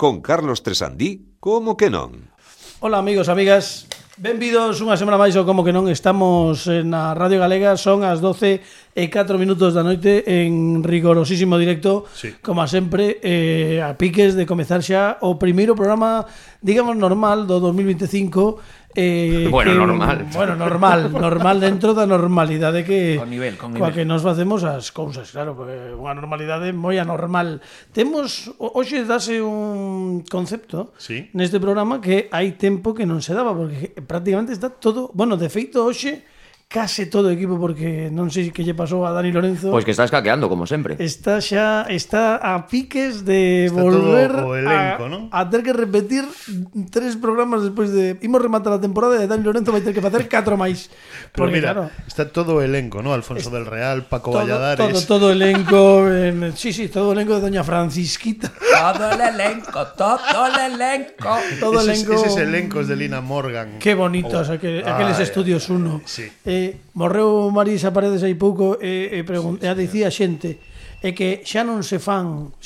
con Carlos Tresandí, como que non? Hola amigos, amigas, benvidos unha semana máis ao Como que non. Estamos na Radio Galega, son as 12:04 da noite en rigorosísimo directo, sí. Como sempre, a piques de comezar xa o primeiro programa, digamos, normal do 2025. Normal dentro da normalidade que con nivel. Coa que nos facemos as cousas, claro, porque unha normalidade moi anormal. Temos hoxe dase un concepto, sí, neste programa que hai tempo que non se daba, porque prácticamente está todo, bueno, de feito hoxe case todo o equipo, porque non sei que lle pasou a Dani Lorenzo. Pois que está escaqueando, como sempre. Está a piques de está volver todo o elenco, ¿no? A ter que repetir 3 programas despois de... Imos rematar a temporada e Dani Lorenzo vai ter que facer 4 máis. Pero porque, mira, claro, está todo o elenco, ¿no? Alfonso del Real, Paco Valladares... Todo o elenco... sí, todo o elenco de Doña Francisquita. Todo el elenco. Esos elencos de Lina Morgan. Qué bonitos aqueles estudios 1. Sí. Morreu Marisa Paredes hai pouco e dicía a xente que xa non se fan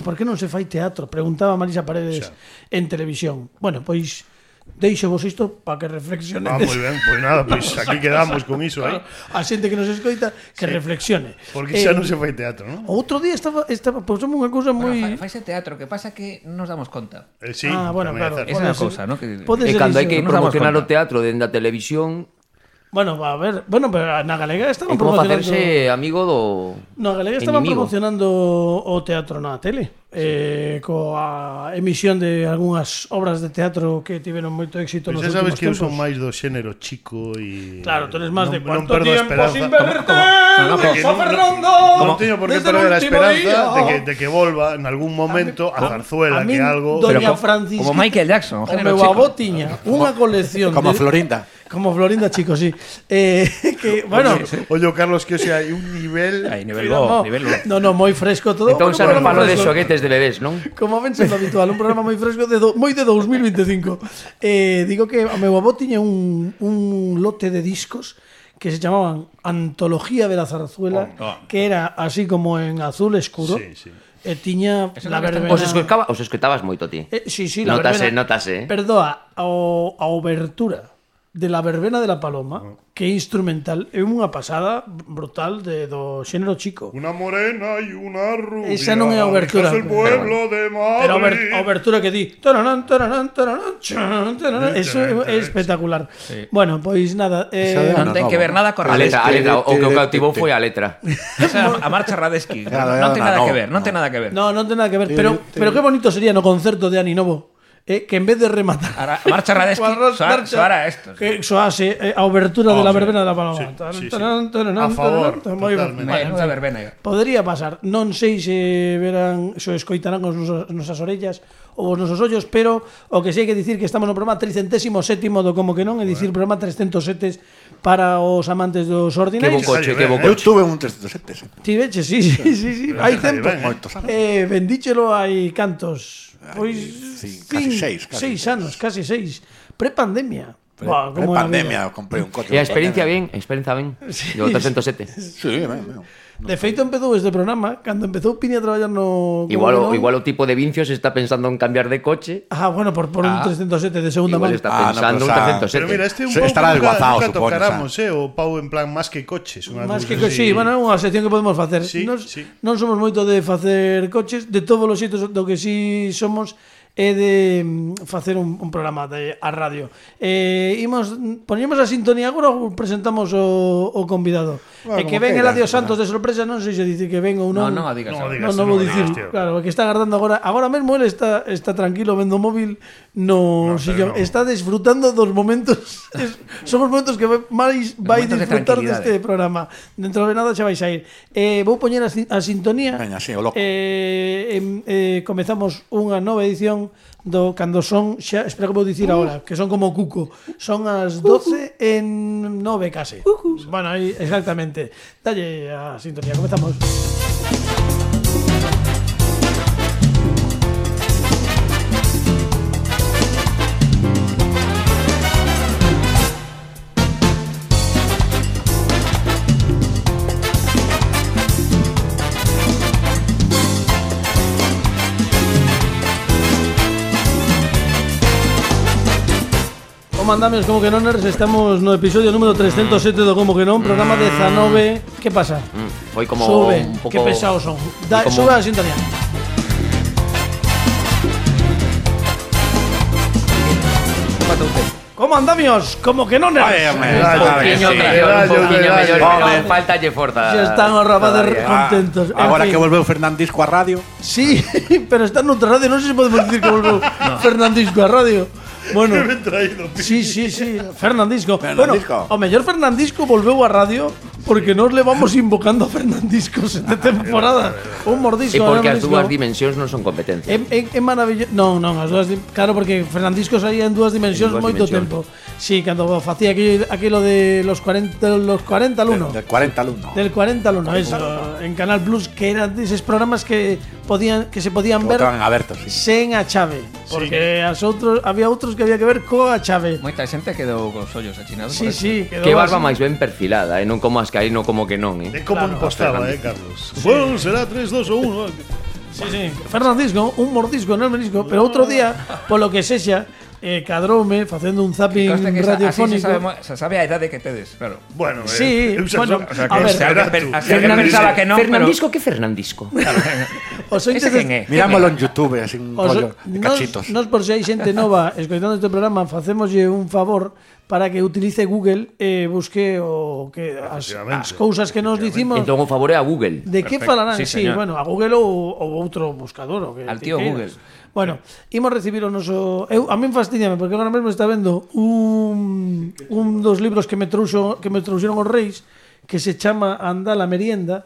por que non se fai teatro, preguntaba Marisa Paredes en televisión. Bueno, pois deixo vos isto para que reflexionedes. Moi ben, pois nada, pois aquí quedamos con iso aí. A xente que nos escoita que reflexione. Porque xa non se fai teatro, non? Outro día estaba pousemos unha cousa moi... Faise teatro, que pasa que non nos damos conta. Sí, bueno, claro. Esa é a cousa, ¿no? E cando hai que promocionar o teatro dende a televisión... Bueno, a ver, pero na Galega estaban promocionando... É como facerse amigo do... Na Galega estaban promocionando o teatro na tele, coa emisión de algunhas obras de teatro que tiveron moito éxito nos últimos tempos. Xa sabes que eu son máis do xénero chico e... Claro, tú eres máis de cuánto tiempo sin verte, Fernando. Non teño por que perder a esperanza de que volva en algún momento a Zarzuela, que algo... Doña Francisca, como Michael Jackson, o meu avó tiña unha colección como Florinda. Como Florinda, chicos, sí. Que, bueno... Oye, Carlos, que o sea, hai un nivel... Hai nivel bo. No, moi fresco todo. Entón xa non falo de xoguetes de bebés, non? Como ven sendo habitual, un programa moi fresco, moi de 2025. Digo que o meu avó tiña un lote de discos que se chamaban Antología de la Zarzuela, que era así como en azul escuro. Sí. E tiña la verbena... Os escoitabas moito ti. Sí, la verbena. Notase. Perdoa, a obertura de la verbena de la Paloma, que é instrumental, é unha pasada brutal do xénero chico. Una morena e una rubia. Esa non é a obertura. El pueblo de Madrid. Pero a obertura que di. Eso é espectacular. Sí. Bueno, pois nada. Non ten que ver nada con a letra. O que o cautivou foi a letra. Esa a marcha Radesky. Non ten nada que ver. Non ten nada que ver. No, non ten nada que ver. Pero que bonito sería no concerto de Ani Novo. Que en vez de rematar a marcha Radesky soara esto, que soase a obertura de la verbena de la Paloma. Sí. A favor, menuda verbena. Podría pasar, non sei se verán, se escoitarán os nosas orellas ou os nosos ollos, pero o que sei que dicir que estamos no programa 307º do Como que non, é dicir programa 307 para os amantes dos ordinarios. Que bo Eu coche. tuve un 307. Ti veche, sí. Hai tempo. Bendíchelo hai cantos. Pois casi 6 anos, casi 6. Prepandemia. Prepandemia, comprei un coche. E a experiencia ben, do 307. Sí, ben. De feito empezou este programa cando empezou Pini a traballar no... Igual o tipo de Vincios está pensando en cambiar de coche. Bueno, por un 307 de segunda mano. Igual está pensando un 307. Pero mira, este un pouco estará desguazado, nunca tocáramos, o Pau en plan más que coches. Más que coches, sí, bueno, é unha sección que podemos facer. Non somos moito de facer coches, de todos os xeitos do que sí somos é de facer un programa a radio. Poñemos a sintonía agora ou presentamos o convidado? Bueno, que ven Eladio Santos de sorpresa, non sei se dicir que ven ou non. Non digas. Non vou dicir. Claro, que está agardando agora mesmo ele está tranquilo vendo o móvil no sillón. Está disfrutando dos momentos. Son os momentos que máis vai disfrutar deste programa. Dentro de nada xa vais a ir. Vou poñer a sintonía. Veña, sí, o loco. Comezamos unha nova edición do cando son xa, espera que vou dicir agora, que son como Cuco. Son as 12:09 case. Bueno, aí exactamente. Dalle a sintonía, comezamos. Como andamos, como que non, estamos no episodio número 307 do Como que non, programa 19. Que pasa? Foi como Sube, un pouco... que pesados son. como- Sube a sintonía. Como andamios, como que non Vaya, eres. Un poquinho mellor, pero faltalle forza. Ya están os rapaces todavía. contentos. En Agora fin. que volveu Fernandisco a radio. Sí, pero está noutra radio, non sei se podemos dicir que volveu Fernandisco a radio. Bueno, sí, Fernandisco. Fernandisco. Bueno, o mellor Fernandisco volveu a radio porque nos levamos invocando a Fernandiscos de temporada. Un mordisco. E porque as Fernandisco. dúas dimensións non son competencia. É maravilloso. Non, as dúas claro, porque Fernandisco saía en dúas dimensións En dúas moito dimensións. tempo. Sí, cando facía aquilo de los 40 al 1. Del 40 al 1. Del 40 al 1, eso, en Canal Plus, que eran esos programas que se podían ver Estaban abertos, sí. sen a chave, porque había outros que había que ver coa chave. Moita xente quedou cos ollos achinados. Sí, sí, quedou Que barba así. máis ben perfilada, non como as que hai, non como que non, De como Claro, impostaba, Carlos. Bueno, será 3, 2 o 1. Sí. Fernandisco, un mordisco en el menisco, pero outro día, polo que sexa, cadroume facendo un zapping Consta que radiofónico. se sabe a idade que tedes, claro. Bueno, Sí, bueno, O sea, a ver, que pensaba que non, pero... Fernandisco, que Fernandisco? os ointes Ese quen é? Mirámoslo en YouTube, así un rollo de cachitos. Nos por se hai xente nova escoitando este programa, facémoslle un favor para que utilice Google e busque o que as cousas que nos dicimos. Entón o favor é a Google. De que Perfecto. falarán? Sí, Sí, señor. bueno, a Google ou outro buscador o que Al ti tío queiras. Google. Bueno, imos recibir o noso a min fastíñame porque agora mesmo está vendo un dos libros que me trouxeron os reis que se chama Anda la merienda,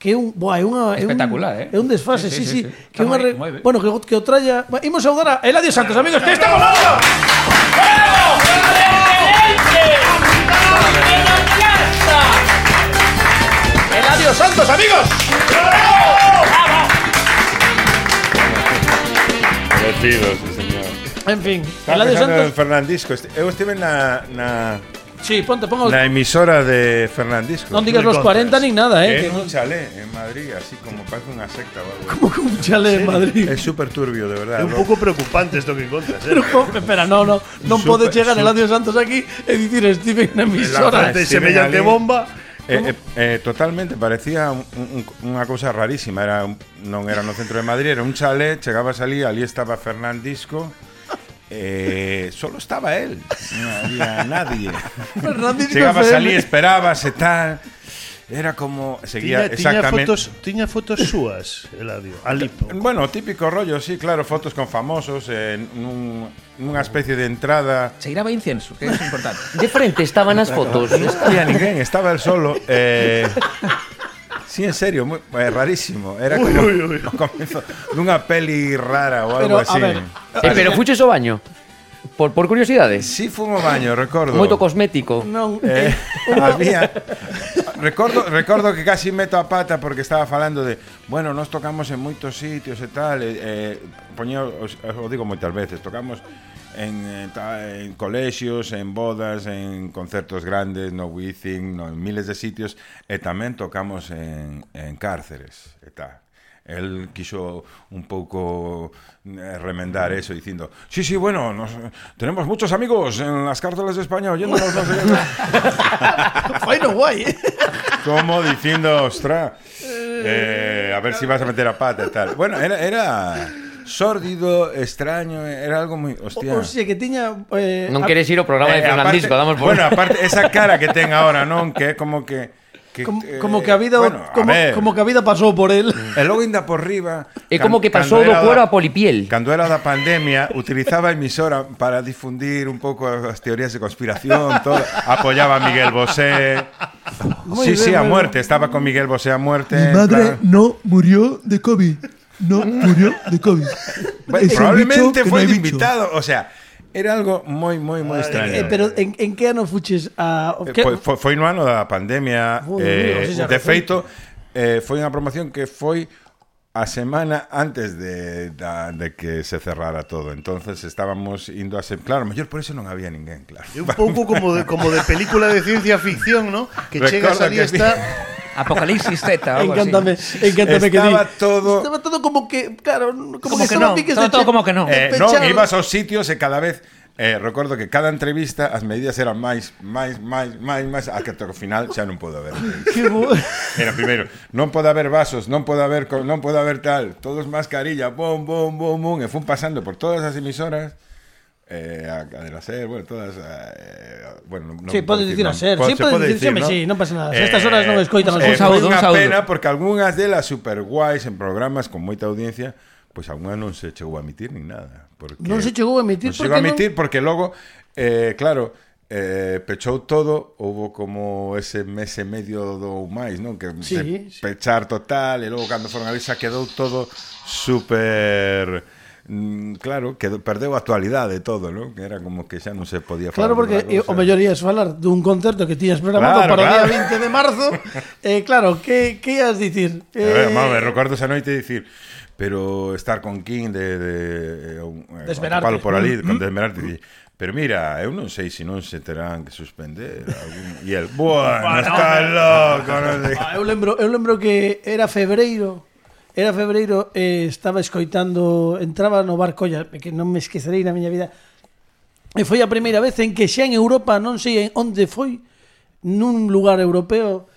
que é un Espectacular, é un desfase, sí. Que Está unha moi ben. bueno, que o tralla. Imos saudar a Eladio Santos, amigos, que estamos nosotros. Eladio Santos, amigos. Divertido, sí, señor. En fin, Estaba Eladio pensando en Santos. Fernandisco. Eu estive na Sí, pongo emisora de Fernandisco. non digas los 40 nin nada, Que que en un chalet en Madrid, así como parece unha secta o algo. como que un chale en Madrid. É súper turbio, de verdad. É un pouco preocupante isto que encontras, Pero, espera, non pode chegar Eladio Santos aquí e dicir Steven na La emisora. frente Sí, semellante ali. bomba. Totalmente, parecía unha cousa rarísima. Non era no centro de Madrid, era un chalet, chegabas ali estaba Fernandisco. Solo estaba él, non había nadie. Fernandisco Chegabas FM. ali, esperabas e tal. Era como seguía exactamente. Tiña fotos súas, Eladio. Alipo. Bueno, típico rollo, sí, claro, fotos con famosos nunha especie de entrada. Cheiraba incienso, que é importante. De frente estaban as fotos. Non había ninguén, estaba él solo. Sí, en serio, rarísimo. Era como o comienzo dunha peli rara ou algo Pero, así. a ver, Pero fuches ao baño. Por curiosidade. Sí, fumo baño, recordo. Moito cosmético. non, Había. Recordo que casi meto a pata porque estaba falando de, bueno, nos tocamos en moitos sitios e tal, o digo moitas veces, tocamos en colexios, en bodas, en concertos grandes, no Wizzing, en miles de sitios, e tamén tocamos en cárceres e tal. Él quiso un pouco remendar eso dicindo, sí, bueno, tenemos muchos amigos en las cárceles de España oyéndonos, no sé qué. foi no guai. Como diciendo, ostras, a ver si vas a meter a pata y tal. Bueno, era sórdido, extraño, era algo muy... Hostia. O sea, que tiña... Non queres ir ao programa de Fernandisco, damos por... Bueno, aparte, esa cara que ten ahora, non? Que é como que... como que a vida bueno, como que a vida pasou por él. E logo ainda por riba. É como que pasou do cuero a polipiel. Cando era da pandemia, utilizaba a emisora para difundir un pouco as teorías de conspiración, todo. Apoyaba a Miguel Bosé. Sí, a muerte. Estaba con Miguel Bosé a muerte. Mi madre no murió de COVID. No murió de COVID. Bueno, Es un probablemente bicho que fue no de hay bicho. invitado. O sea, era algo moi extraño. Pero en que ano fuches a... Foi no ano da pandemia. De feito, foi unha promoción que foi a semana antes de que se cerrara todo. Entonces estábamos indo a ser... Claro, mellor por eso non había ninguén, claro. É un pouco como de película de ciencia ficción, ¿no? Que chegas ali e está... Apocalipsis Z, algo Encántame así. que Estaba todo como que, claro, como que que estaba no, piques todo como que no. Non, ibas aos sitios e cada vez recordo que cada entrevista as medidas eran máis, a que ao final xa non pode haber. Era primeiro, non pode haber vasos, non pode haber tal, todos mascarilla, bom, e fun pasando por todas as emisoras, a cadena SER, bueno, todas, bueno, non sí, pode dicir a SER, sí, pode dicir, ¿no? Sí, non pasa nada. Estas horas non escoitan os saúdo, unha pena porque algunhas delas super guais en programas con moita audiencia, pois algunha non se chegou a emitir nin nada. Non se chegou a emitir porque logo, claro, pechou todo, houve como ese mes e medio do máis, non? Que pechar total, e logo cando foron ali xa quedou todo super... claro, que perdeu a actualidade todo, non? Que era como que xa non se podía falar. Claro, porque o mellor ías falar dun concerto que tiñas programado para o día 20 de marzo. Claro, que ias dicir? Me recordo esa noite dicir, pero estar con King de Desmerarte por ali, con Desmerarte, pero mira, eu non sei se non se terán que suspender e el, bueno, está loco, non sei. Eu lembro que era febreiro, estaba escoitando, entraba no bar Colla, que non me esquecerei na miña vida, e foi a primeira vez en que xa en Europa, non sei onde foi, nun lugar europeo,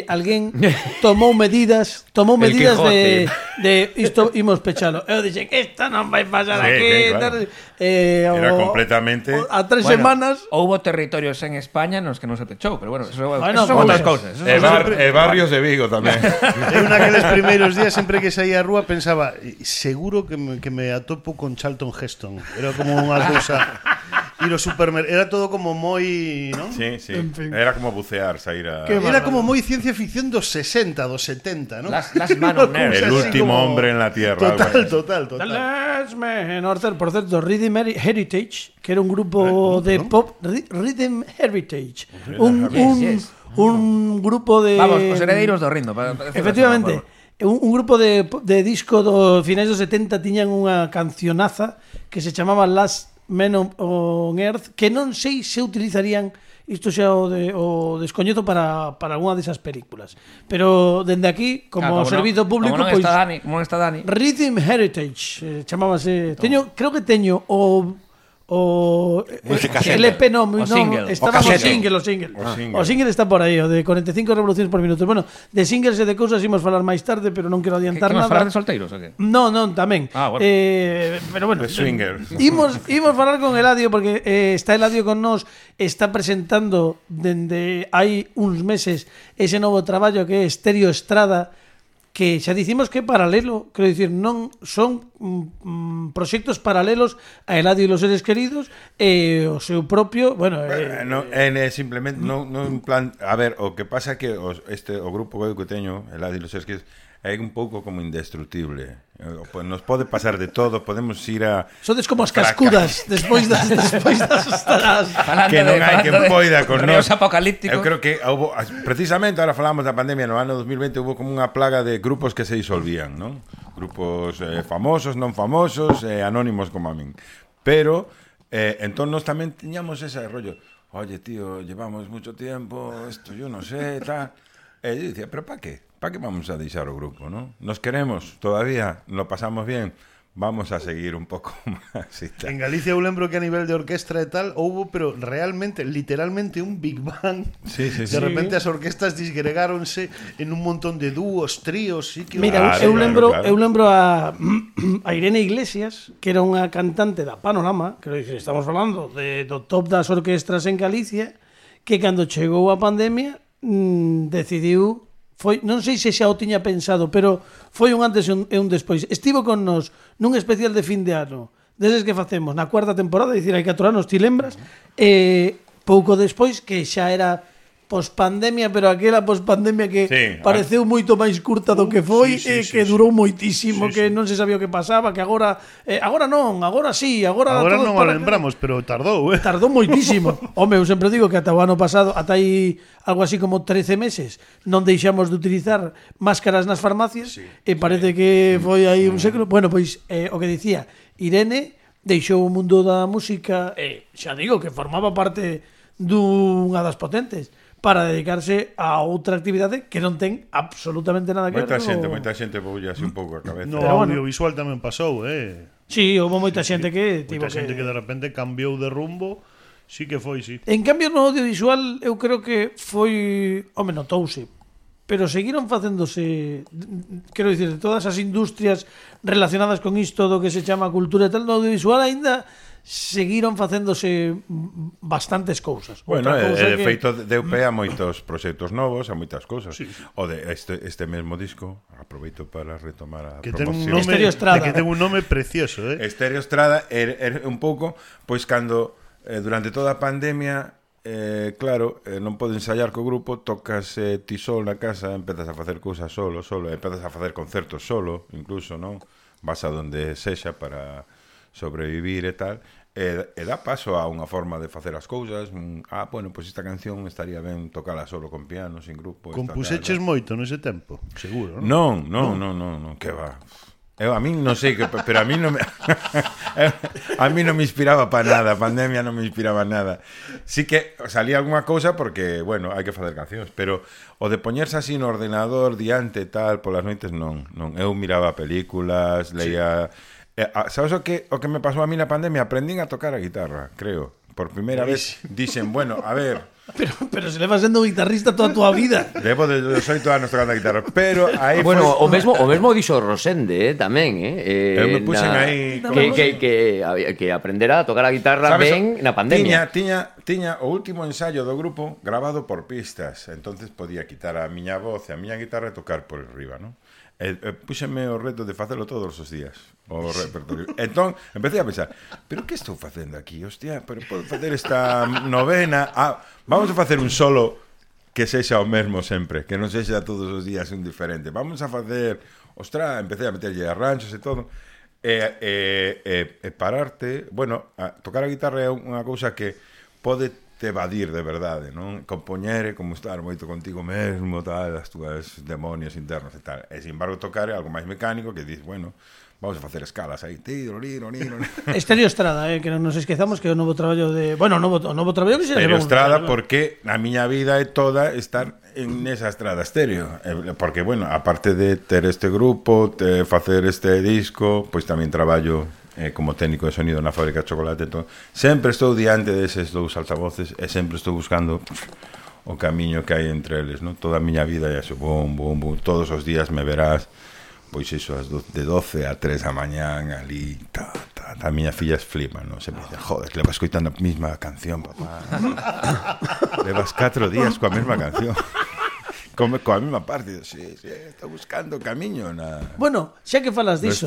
alguén tomou medidas de isto imos pechalo. Eu dixen, isto non vai pasar aquí, claro. Era completamente a 3 semanas. Houbo territorios en España nos que non se pechou, pero bueno, eso son outras cousas. Barrios de Vigo tamén. En aqueles primeiros días, sempre que saía a rúa pensaba, seguro que me atopo con Charlton Heston. Era como unha cousa. Ir ao supermercado, era todo como moi, ¿no? Sí, en fin. Era como bucear, sair a... Era como moi ciencia ficción dos 60, dos 70, ¿no? Las man on earth. El último hombre en la tierra. Total. The last man on earth. Por certo, Rhythm Heritage, que era un grupo de pop, Rhythm Heritage. Un grupo de... Vamos, os heredeiros do ritmo. Efectivamente. Un grupo de disco do finais dos 70 tiñan unha cancionaza que se chamaba Last Men on Earth, que non sei se utilizarían isto xa o descoñezo para algunha desas películas, pero dende aquí como servizo público, como non está Dani. Rhythm Heritage chamábase. Creo que teño o LP o single. Estaba o single está por aí, o de 45 revoluciones por minuto. Bueno, de singles e de cousas imos falar máis tarde, pero non quero adiantar nada. Falar de solteiros o que? Non, tamén. Bueno. Pero bueno, de swingers. Imos falar con Eladio porque está Eladio con nós, está presentando dende hai uns meses ese novo traballo que é Estéreo Estrada, que xa dicimos que é paralelo, quero dicir, non son proxectos paralelos a Eladio e los seres queridos e o seu propio, bueno, simplemente non en plan, a ver, o que pasa que o grupo que teño, Eladio e los seres queridos, é un pouco como indestructible. Pues nos pode pasar de todo, podemos ir a... Sodes como as cascudas despois das que non hai que poida con nós. Apocalípticos. Eu creo que houve, precisamente, ahora falamos da pandemia, no ano 2020 houve como unha plaga de grupos que se disolvían, non? Grupos famosos, non famosos, anónimos como a min. Pero, entón nós tamén tiñamos ese rollo. Oye, tío, llevamos mucho tiempo, esto yo no sé, tal... E yo dicía, pero ¿para qué? ¿Para qué vamos a deixar o grupo, no? Nos queremos, todavía, lo pasamos bien, vamos a seguir un pouco máis e tal. En Galicia eu lembro que a nivel de orquestra e tal houbo, pero realmente, literalmente un Big Bang. Sí. De repente as orquestas disgregáronse en un montón de dúos, tríos, sitios. Mira, eu lembro a Irene Iglesias, que era unha cantante da Panorama, que estamos falando do top das orquestras en Galicia, que cando chegou a pandemia decidiu, non sei se xa o tiña pensado, pero foi un antes e un despois. Estivo con nos nun especial de fin de ano, deses que facemos na cuarta temporada, dicir, hai 4 anos, ti lembras, pouco despois, que xa era pospandemia, pero aquela pospandemia que pareceu moito máis curta do que foi, que durou moitísimo, que non se sabía o que pasaba, que agora non, agora sí, agora non o lembramos, pero tardou, Tardou moitísimo. Home, eu sempre digo que ata o ano pasado, ata aí algo así como 13 meses, non deixamos de utilizar máscaras nas farmacias, e parece que foi aí un século. Bueno, pois, o que dicía, Irene deixou o mundo da música, xa digo que formaba parte dunha das potentes, para dedicarse a outra actividade que non ten absolutamente nada que ver. Moita xente poulle así un pouco a cabeza. No audiovisual tamén pasou, Sí, houve moita xente que tivo moita xente que de repente cambiou de rumbo. Sí que foi, sí. En cambio no audiovisual eu creo que foi, home, notouse, pero seguiron facéndose, quero dicir, de todas as industrias relacionadas con isto do que se chama cultura e tal, no audiovisual aínda seguiron facéndose bastantes cousas. Bueno, de feito deu pé a moitos proxectos novos, a moitas cousas. Sí. O de este mesmo disco, aproveito para retomar a que ten un promoción. nome, Estéreo Estrada. que ten un nome precioso, Estéreo Estrada era un pouco, pois cando durante toda a pandemia, claro, non podes ensaiar co grupo, tocas ti solo na casa, empezas a facer cousas solo, empezas a facer concertos solo, incluso, non? Vas a donde sexa para sobrevivir e tal, e dá paso a unha forma de facer as cousas. Bueno, pois esta canción estaría ben tocala solo con piano, sin grupo. Compuseches moito nese tempo, seguro, non? Non, que va. A mí non sei, pero a mí non me a mí non me inspiraba para nada. A pandemia non me inspiraba nada. Sí que salía algunha cousa porque, bueno, hai que facer cancións, pero o de poñerse así no ordenador diante tal polas noites non. Eu miraba películas, leía. Sabes o que me pasou a mí na pandemia? Aprendín a tocar a guitarra, creo. Por primeira vez dixen, bueno, a ver. Pero se levas sendo guitarrista toda a túa vida. Levo de 18 anos tocando a guitarra, pero aí bueno, o mesmo dixo Rosende, tamén, eu me puxen aí que aprendera a tocar a guitarra ben na pandemia. Tiña o último ensayo do grupo grabado por pistas, entonces podía quitar a miña voz e a miña guitarra e tocar por arriba, non? Puxeme o reto de facelo todos os días, o repertorio. Entón, empecé a pensar, pero que estou facendo aquí? Hostia, pero podo facer esta novena. Vamos a facer un solo que sexa o mesmo sempre, que non sexa todos os días un diferente. Vamos a facer, empecé a meterlle arranxos e todo. Pararte, bueno, tocar a guitarra é unha cousa que pode evadir de verdade, non? Compoñer como estar moito contigo mesmo, tal, as túas demonios internos e tal. E, sin embargo, tocar é algo máis mecánico que dices, bueno, vamos a facer escalas aí. Estéreo Estrada, que non nos esquezamos que é o novo traballo de... Bueno, o novo traballo que se Estéreo Estrada, porque a miña vida é toda estar en esa estrada estéreo. Porque, bueno, aparte de ter este grupo, de facer este disco, pois tamén traballo como técnico de sonido na fábrica de chocolate. Entón, sempre estou diante deses dous altavoces e sempre estou buscando o camiño que hai entre eles, non? Toda a miña vida é eso, bum, todos os días me verás, pois iso, de 12 a 3 da mañán ali, a miña filla flipa, non? Sempre dice, joder, que levas escoitando a mesma canción, papá. Levas 4 días coa mesma canción. Coa mesma parte, sí, está buscando camiño na... Bueno, xa que falas diso,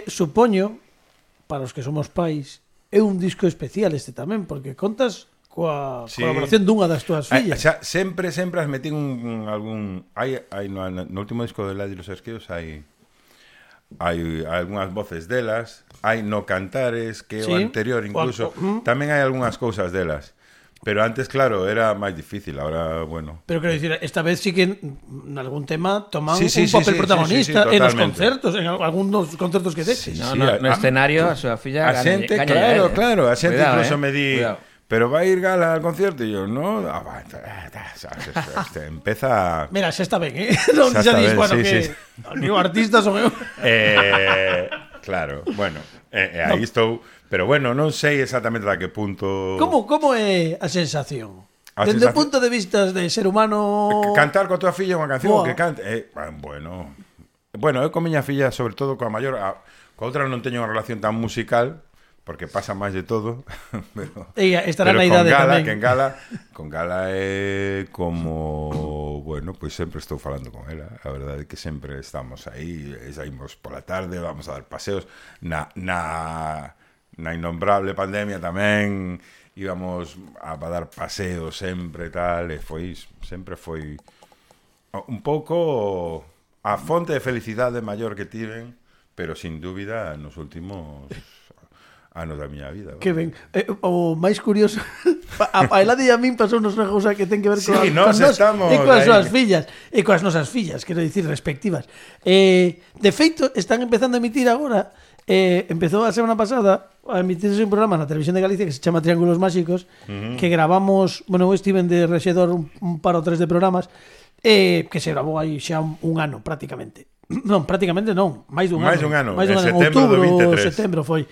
supoño, para os que somos pais, é un disco especial este tamén, porque contas coa colaboración dunha das túas fillas. Sempre as metín algún... No último disco de Ladi los Esqueos hai algunhas voces delas, hai no Cantares, que é o anterior incluso, tamén hai algunhas cousas delas. Pero antes, claro, era máis difícil, ahora, bueno... Pero quero dicir, esta vez sí que en algún tema toman un papel protagonista en os concertos, en algúns concertos que deches. No escenario, a súa filla a xente, claro, a xente incluso me di... Pero vai ir Gala al concierto? E yo, no... Empeza... Mira, xa está ben, non xa dis, bueno, que... Digo, artistas son eu. Claro, bueno, aí estou... Pero bueno, non sei exactamente a que punto... Como é a sensación? Dende o punto de vista de ser humano... Cantar coa tua filla unha canción que cante... Bueno, eu con miña filla, sobre todo coa maior... Coa outra non teño unha relación tan musical, porque pasa máis de todo. Ella estará na idade tamén. Que con Gala é como... Bueno, pois sempre estou falando con ela. A verdade é que sempre estamos aí. Saímos pola tarde, vamos a dar paseos. Na innombrable pandemia tamén íbamos a dar paseos sempre tal, e sempre foi un pouco a fonte de felicidade maior que tiven, pero sin dúbida nos últimos anos da miña vida. Que ben, o máis curioso a Elade e a min pasou nos unha cousa que ten que ver con nos estamos e coas súas fillas e coas nosas fillas, quero dicir, respectivas. De feito, están empezando a emitir agora. Empezou a semana pasada a emitirse un programa na Televisión de Galicia que se chama Triángulos Máxicos, que gravamos, bueno, eu estive de rexedor un par ou tres de programas, que se gravou aí xa un ano prácticamente. Non, prácticamente non, máis dun ano. En outubro ou setembro foi.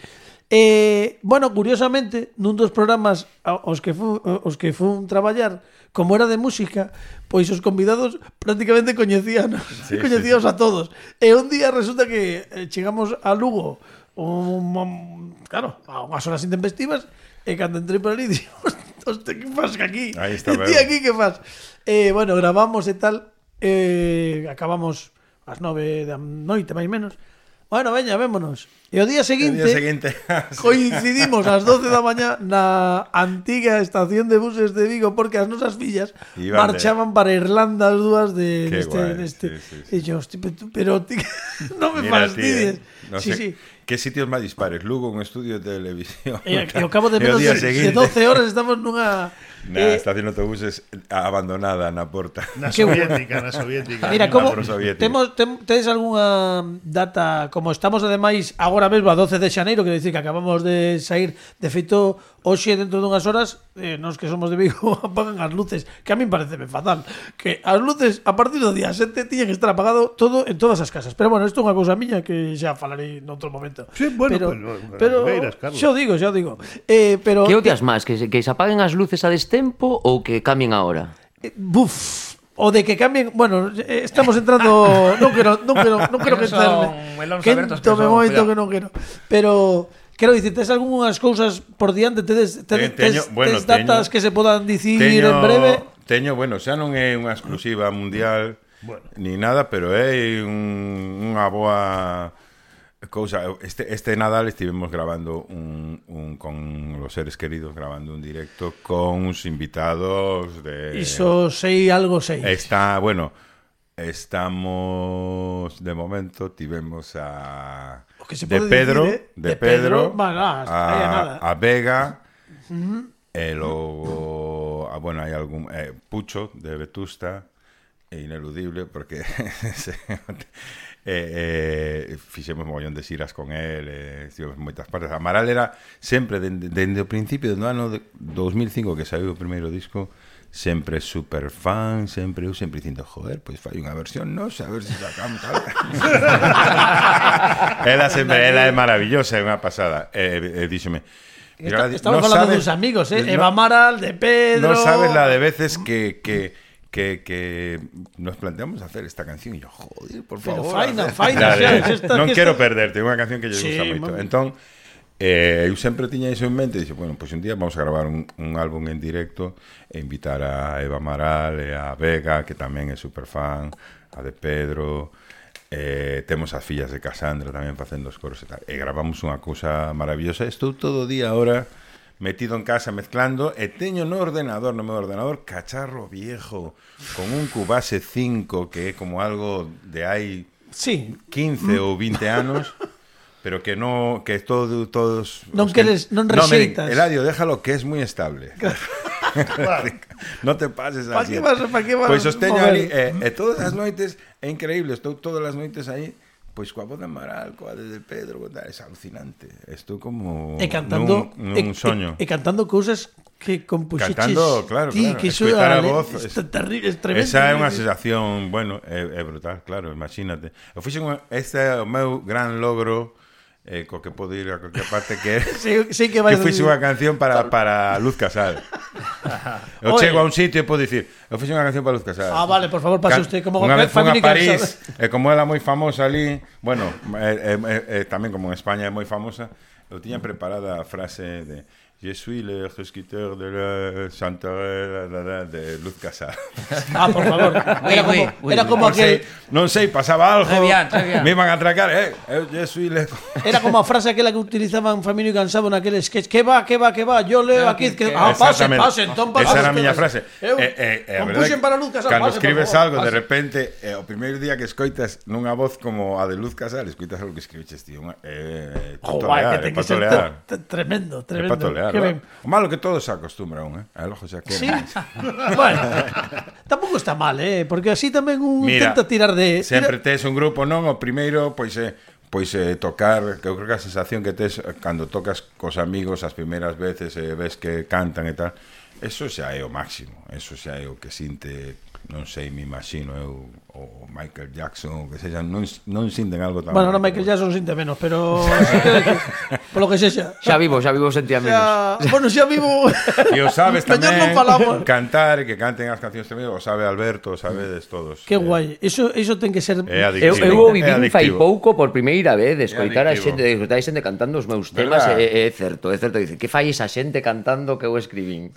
Bueno, curiosamente, nun dos programas os que fun traballar, como era de música, pois os convidados prácticamente coñecíanos a todos. E un día resulta que chegamos a Lugo claro, a unhas horas intempestivas, e cando entrei por ali dixemos, que faz aquí? Ti aquí que faz? Bueno, gravamos e tal, acabamos ás 9 da noite, máis menos. Bueno, veña, vémonos. E o día seguinte coincidimos ás 12 da mañá na antiga estación de buses de Vigo, porque as nosas fillas marchaban para Irlanda as dúas neste. E yo, pero non me fastidies. No sé, que sitios máis dispares? Lugo, un estudio de televisión. E ao cabo de menos de 12 horas estamos nunha estación de autobuses abandonada na porta. Na soviética. Mira, como tedes algunha data, como estamos ademais agora mesmo a 12 de xaneiro, quero dicir que acabamos de sair, de feito hoxe dentro dunhas horas, nos que somos de Vigo apagan as luces, que a min pareceme fatal, que as luces a partir do día 7 tiñen que estar apagado todo en todas as casas. Pero bueno, isto é unha cousa miña que xa falarei noutro momento. Sí, bueno, pero xa digo. Pero que odias máis, que se apaguen as luces a destempo ou que cambien a hora? O de que cambien, bueno, estamos entrando, non quero que tome moito que non quero. Pero quero dicir, tes algunhas cousas por diante, tes datas que se podan dicir en breve? Teño, bueno, xa non é unha exclusiva mundial ni nada, pero é unha boa cousa. Este Nadal estivemos grabando con los seres queridos, grabando un directo con uns invitados de... Iso sei. Estamos de momento, tivemos a de Pedro, a Vega, e logo hai algún Pucho de Vetusta, e Ineludible, porque fixemos mogollón de xiras con él, estivemos en moitas partes. Amaral era sempre, dende o principio do ano 2005 que saiu o primeiro disco, sempre super fan, eu sempre dicindo, joder, pois fai unha versión nosa, a ver se sacamos algo. Ela é maravillosa, é unha pasada. Díxome, estamos falando dos amigos, Eva Amaral, de Pedro. Non sabes la de veces que nos planteamos hacer esta canción e yo, joder, por favor. Non quero perderte, é unha canción que lle gusta moito. Entón, eu sempre tiña iso en mente e dixo, bueno, pois un día vamos a gravar un álbum en directo e invitar a Eva Amaral e a Vega, que tamén é super fan, a de Pedro, temos as fillas de Casandra tamén facendo os coros e tal, e gravamos unha cousa maravillosa. Estou todo o día ahora metido en casa mezclando, e teño no meu ordenador cacharro viejo con un Cubase 5 que é como algo de hai 15 ou 20 anos, pero que no, que todos non queres, non rexeitas. Eladio, déjalo, que es muy estable. No te pases así. Pa que vas? Pois os teño ali, e todas as noites é increíble, estou todas as noites aí, pois coa voz de Amaral, coa de Pedro, é alucinante. Estou como nun soño. E cantando cousas que compuxeches. Cantando, claro, que escoitar a voz. É tremendo. Esa é unha sensación, bueno, é brutal, claro, imagínate. Eu fixen este é o meu gran logro, co que podo ir a cualquier parte, que sí que fixe unha canción para Luz Casal. Eu chego a un sitio e podo dicir, eu fixe unha canción para Luz Casal. Vale, por favor, pase usted como unha vez fun a París, e como ela moi famosa ali, bueno, tamén como en España é moi famosa, eu tiña preparada a frase de Je suis le resquiteur de la chanterelle de Luz Casal. Por favor. Era como aquel... Non sei, pasaba algo, me iban a atracar, je suis le... Era como a frase aquela que utilizaban Famino y Cansado naquele sketch, que va, yo leo aquí... Pase, entón pase. Esa era a miña frase. Compuxen para Luz Casal. Cando escribes algo, de repente, o primeiro día que escoitas nunha voz como a de Luz Casal, escoitas algo que escribiches, tío, que ten que ser tremendo. Claro. O malo que todo se acostumbra logo xa que... Sí. Bueno, tampouco está mal, porque así tamén intenta tirar de... Sempre tes un grupo, non? O primeiro, pois tocar, que eu creo que a sensación que tes cando tocas cos amigos as primeiras veces e ves que cantan e tal, eso xa é o máximo, eso xa é o que sinte, non sei, me imagino eu, o o Michael Jackson, que sexan, non sinten algo tan... Bueno, non Michael Jackson sinte menos, pero por lo que sexa. Xa vivo sentía menos. Bueno, xa vivo. E o sabes tamén non falamos. cantar, que canten as cancións tamén, o sabe Alberto, o sabedes todos. Que guai. Eso ten que ser... Eu vivín fai pouco por primeira vez de escoitar a xente, de escoitar a xente cantando os meus temas, é certo, dice, que fai esa xente cantando que eu escribín?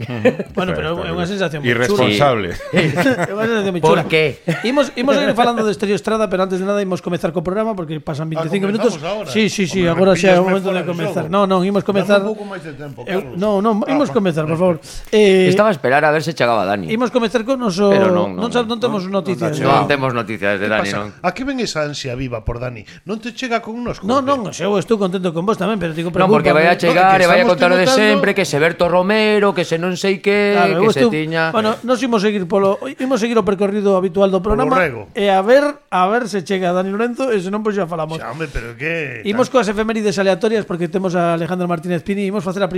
Bueno, pero é unha sensación moi irresponsable. É unha sensación moi chula. Por que? Imos a ir falando de Estéreo Estrada, pero antes de nada imos comezar co programa porque pasan 25 minutos. Sí, agora xa é o momento de comezar. Non, imos comezar. Dame un pouco máis de tempo, Carlos. Non, imos comezar, por favor. Estaba a esperar a ver se chegaba Dani. Imos comezar con noso... Pero non temos noticias. Non temos noticias de Dani, non. A que ven esa ansia viva por Dani? Non te chega con nosco? Non, eu estou contento con vos tamén, pero digo, non, porque vai a chegar e vai a contar de sempre, que se Berto Romero, que se non sei que, que se tiña... Bueno, nos imos seguir o percorrido habitual do programa e a ver se chega Dani Lorenzo e se non, pois xa falamos. Xa, hombre, pero que... Imos coas efemérides aleatorias porque temos a Alejandro Martínez Pini, imos facer a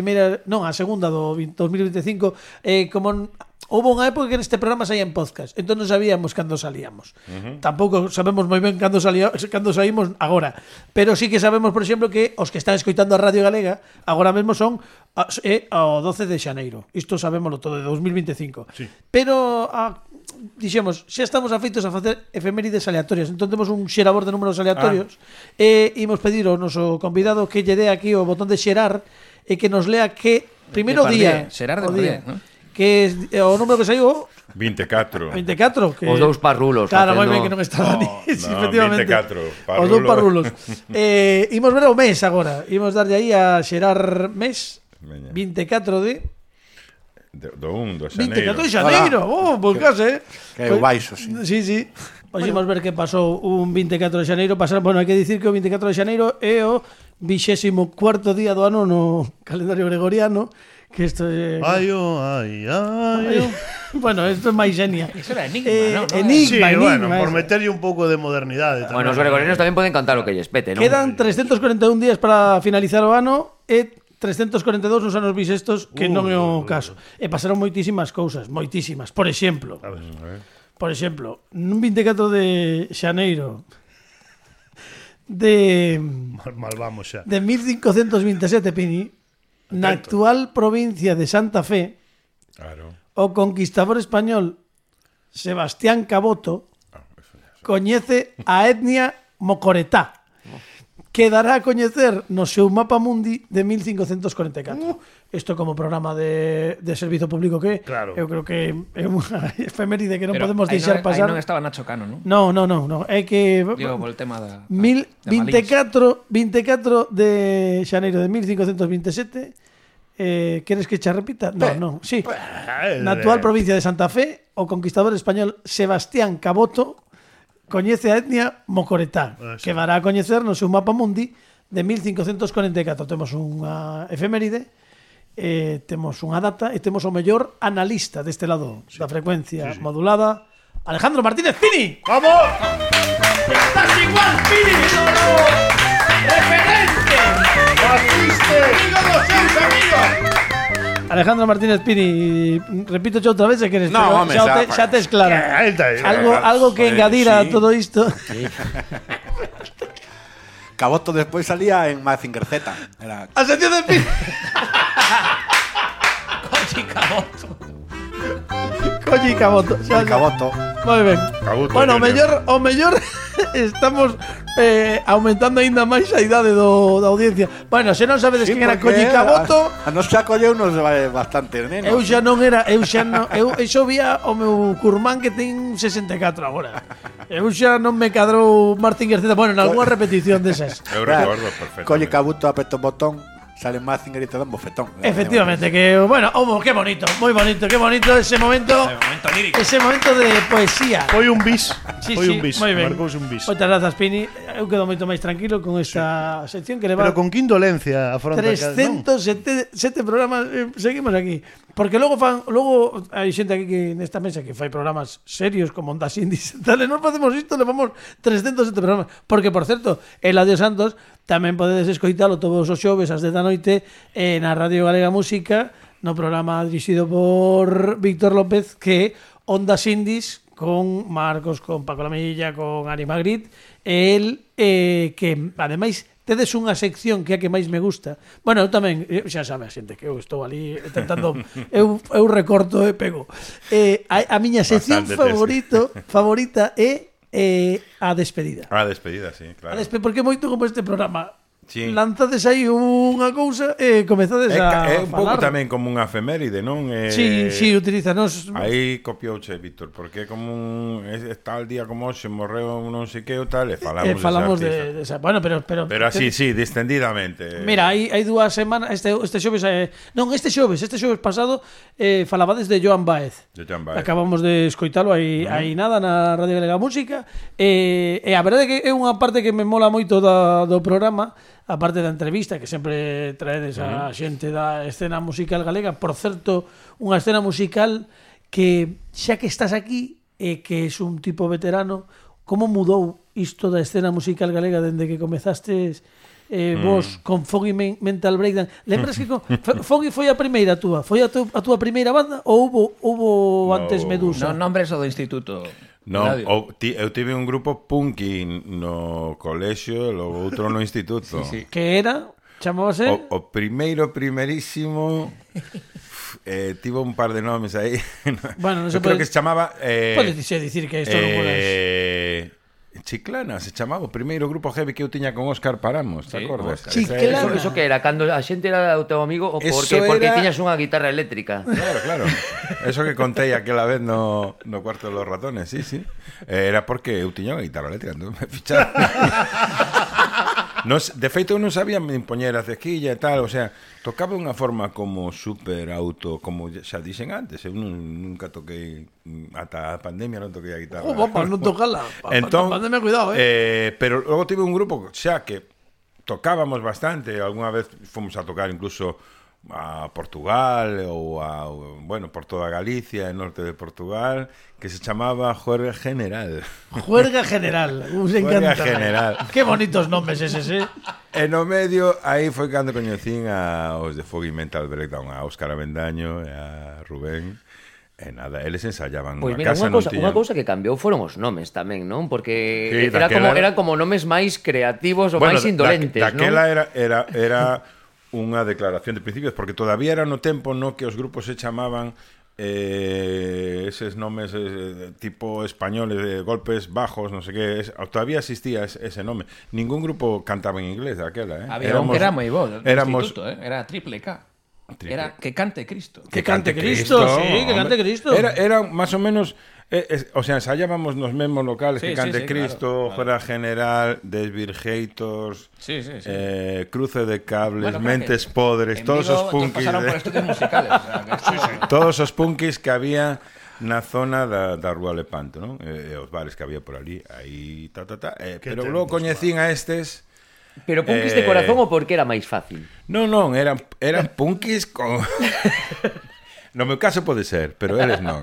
segunda do 2025, como houve unha época que neste programa saía en podcast, entón non sabíamos cando salíamos. Tampouco sabemos moi ben cando saímos agora, pero sí que sabemos, por exemplo, que os que están escoitando a Radio Galega agora mesmo son ao 12 de xaneiro. Isto sabémoslo todo de 2025. Sí. Pero dixemos, xa estamos afeitos a facer efemérides aleatorias, entón temos un xerador de números aleatorios e imos pedir ao noso convidado que lle dé aquí o botón de xerar e que nos lea que primeiro día, xerar de día, ¿no? Que o número que saiu 24, que os dous parrulos. claro, moi ben que non está Dani. Sí, efectivamente 24 os dous parrulos. Imos ver o mes agora, imos darlle aí a xerar mes 24 de do 1 de xaneiro. 24 de xaneiro. Pois case, Que é o baixo, sí. Sí. Pois imos ver que pasou un 24 de xaneiro. Bueno, hai que dicir que o 24 de xaneiro é o 24º día do ano no calendario gregoriano. Que isto é... Ai. Bueno, isto é máis xenia. Iso era enigma, non? Enigma, bueno, por meterlle un pouco de modernidade tamén. Bueno, os gregorianos tamén poden cantar o que lles pete, non? Quedan 341 días para finalizar o ano e 342 nos anos bisestos, que non é o caso. E pasaron moitísimas cousas, moitísimas. Por exemplo, nun 24 de xaneiro de mal vamos xa. De 1527, Pini, na actual provincia de Santa Fe, o conquistador español Sebastián Caboto coñece a etnia mocoretá, que dará a coñecer no seu mapa mundi de 1544. Isto como programa de servizo público que claro. Eu creo que é unha efeméride que non podemos deixar pasar. Aí non estaba Nacho Cano, non? No, é que digo, por el tema da 24 de xaneiro de 1527. Queres que xa repita? Non, sí. Na actual provincia de Santa Fe, o conquistador español Sebastián Caboto coñece a etnia mocoretá, que dará a coñecer no seu mapa mundi de 1544. Temos unha efeméride, temos unha data e temos o mellor analista deste lado da frecuencia modulada, Alejandro Martínez Pini. ¡Vamos! ¡Estás igual, Pini! ¡Referente! ¡Batiste! ¡Amigo dos seus amigos! Alejandro Martínez Pini, repito xa outra vez se queres, no, xa tes clara. Algo que engadir a todo isto. Sí. Caboto despois salía en Mazinger Z. Era... A sección de Pini. Coñi Caboto. Caboto. Moi ben. Bueno, o mellor estamos aumentando aínda máis a idade da audiencia. Bueno, se non sabedes quen era Coñi Caboto, a nos xa colleunos bastante, neno. Eu xa vía o meu curmán que ten 64 agora. Eu xa non me cadrou Martín García. Bueno, en algunha repetición desas. Eu recordo perfectamente. Coñi Caboto, apretó un botón, sale Mazinger y te da un bofetón. Efectivamente, que bueno, qué bonito, muy bonito, qué bonito ese momento lírico. Ese momento de poesía. Foi un bis. Moi ben. Marcouse un bis. Moitas grazas, Pini. Eu quedo moito máis tranquilo con esta sección que leva. Pero con que indolencia afronta 307 programas, seguimos aquí. Porque logo hai xente aquí que nesta mesa que fai programas serios como Ondas Indies. Dale, non facemos isto, levamos 307 programas. Porque, por certo, Eladio Santos tamén podedes escoitalo todos os xoves ás 10 da noite na Radio Galega Música, no programa dirixido por Víctor López, que Ondas Indies, con Marcos, con Paco Lamilla, con Ari Magritte, e el que ademais tedes unha sección que é a que máis me gusta. Bueno, eu tamén, xa sabe a xente que eu estou ali tentando eu recorto e pego. A miña sección favorita é a despedida. A despedida, sí, claro. Porque moito como este programa sí. Lanzades aí unha cousa e comezades a falar. É un pouco tamén como unha efeméride, non? Sí, utilízanos. Aí copiouse, Víctor, porque é como tal día como hoxe morreu non sei que ou tal, e falamos de esa. Bueno, pero así, sí, distendidamente. Mira, hai 2 semanas, este xoves, este xoves pasado falabades de Joan Baez. Acabamos de escoitalo aí nada na Radio Galega Música, e a verdade é que é unha parte que me mola moito do programa. A parte da entrevista que sempre traedes a xente da escena musical galega, por certo, unha escena musical que xa que estás aquí e que és un tipo veterano, como mudou isto da escena musical galega dende que comezastes vos con Foggy Mental Breakdown? Lembras que Foggy foi a primeira túa? Foi a túa primeira banda ou hubo antes Medusa? Non, nombres o do instituto. Non, eu tive un grupo punky no colexio e logo outro no instituto. Sí. Que era? Chamábase? O primerísimo tivo un par de nomes aí. Bueno, non se creo que se chamaba podes dicir que isto non podes. Chiclana, se chamaba o primeiro grupo heavy que eu tiña con Óscar Paramos, te acordas? Chiclana. Eso que era, cando a xente era o teu amigo ou porque tiñas unha guitarra eléctrica? Claro. Eso que contei aquela vez no cuarto de los ratones, sí. Era porque eu tiña unha guitarra eléctrica, entón me ficharon. De feito, eu non sabía me impoñer a cequilla e tal, o sea, tocaba unha forma como super como xa dixen antes, eu nunca toquei, ata a pandemia non toquei a guitarra. Non tocala, entón, pandemia, cuidado, pero logo tive un grupo xa que tocábamos bastante, algunha vez fomos a tocar incluso a Portugal ou por toda Galicia e norte de Portugal, que se chamaba Juerga General. Juerga General, nos encanta. Juerga General. Que bonitos nomes eses, E no medio, aí foi cando coñecín aos de Foggy Mental Breakdown, a Óscar Avendaño e a Rubén. E nada, eles ensayaban pois na casa. Unha cousa que cambiou foron os nomes tamén, non? Porque eran como nomes máis creativos ou máis indolentes, non? Daquela era unha declaración de principios, porque todavía era no tempo no que os grupos se chamaban eses nomes tipo españoles de golpes bajos, non sei que, todavía existía ese nome. Ningún grupo cantaba en inglés daquela, Había un que era moi bo, era Triple K. Era Que Cante Cristo. Que Cante Cristo, sí, Que Cante Cristo. Era máis ou menos, o sea, ensayábamos nos mesmos locales, Que Cante Cristo, Juerga General, Desvirgators, Cruce de Cables, Mentes Podres, todos os punkis. Pasaron por estudios musicales. Todos os punkis que había na zona da Rúa Lepanto, non? E os bares que había por ali, aí, pero logo coñecín a estes. Pero punkis de corazón ou porque era máis fácil? Non, eran punkis con... No meu caso pode ser, pero eles non.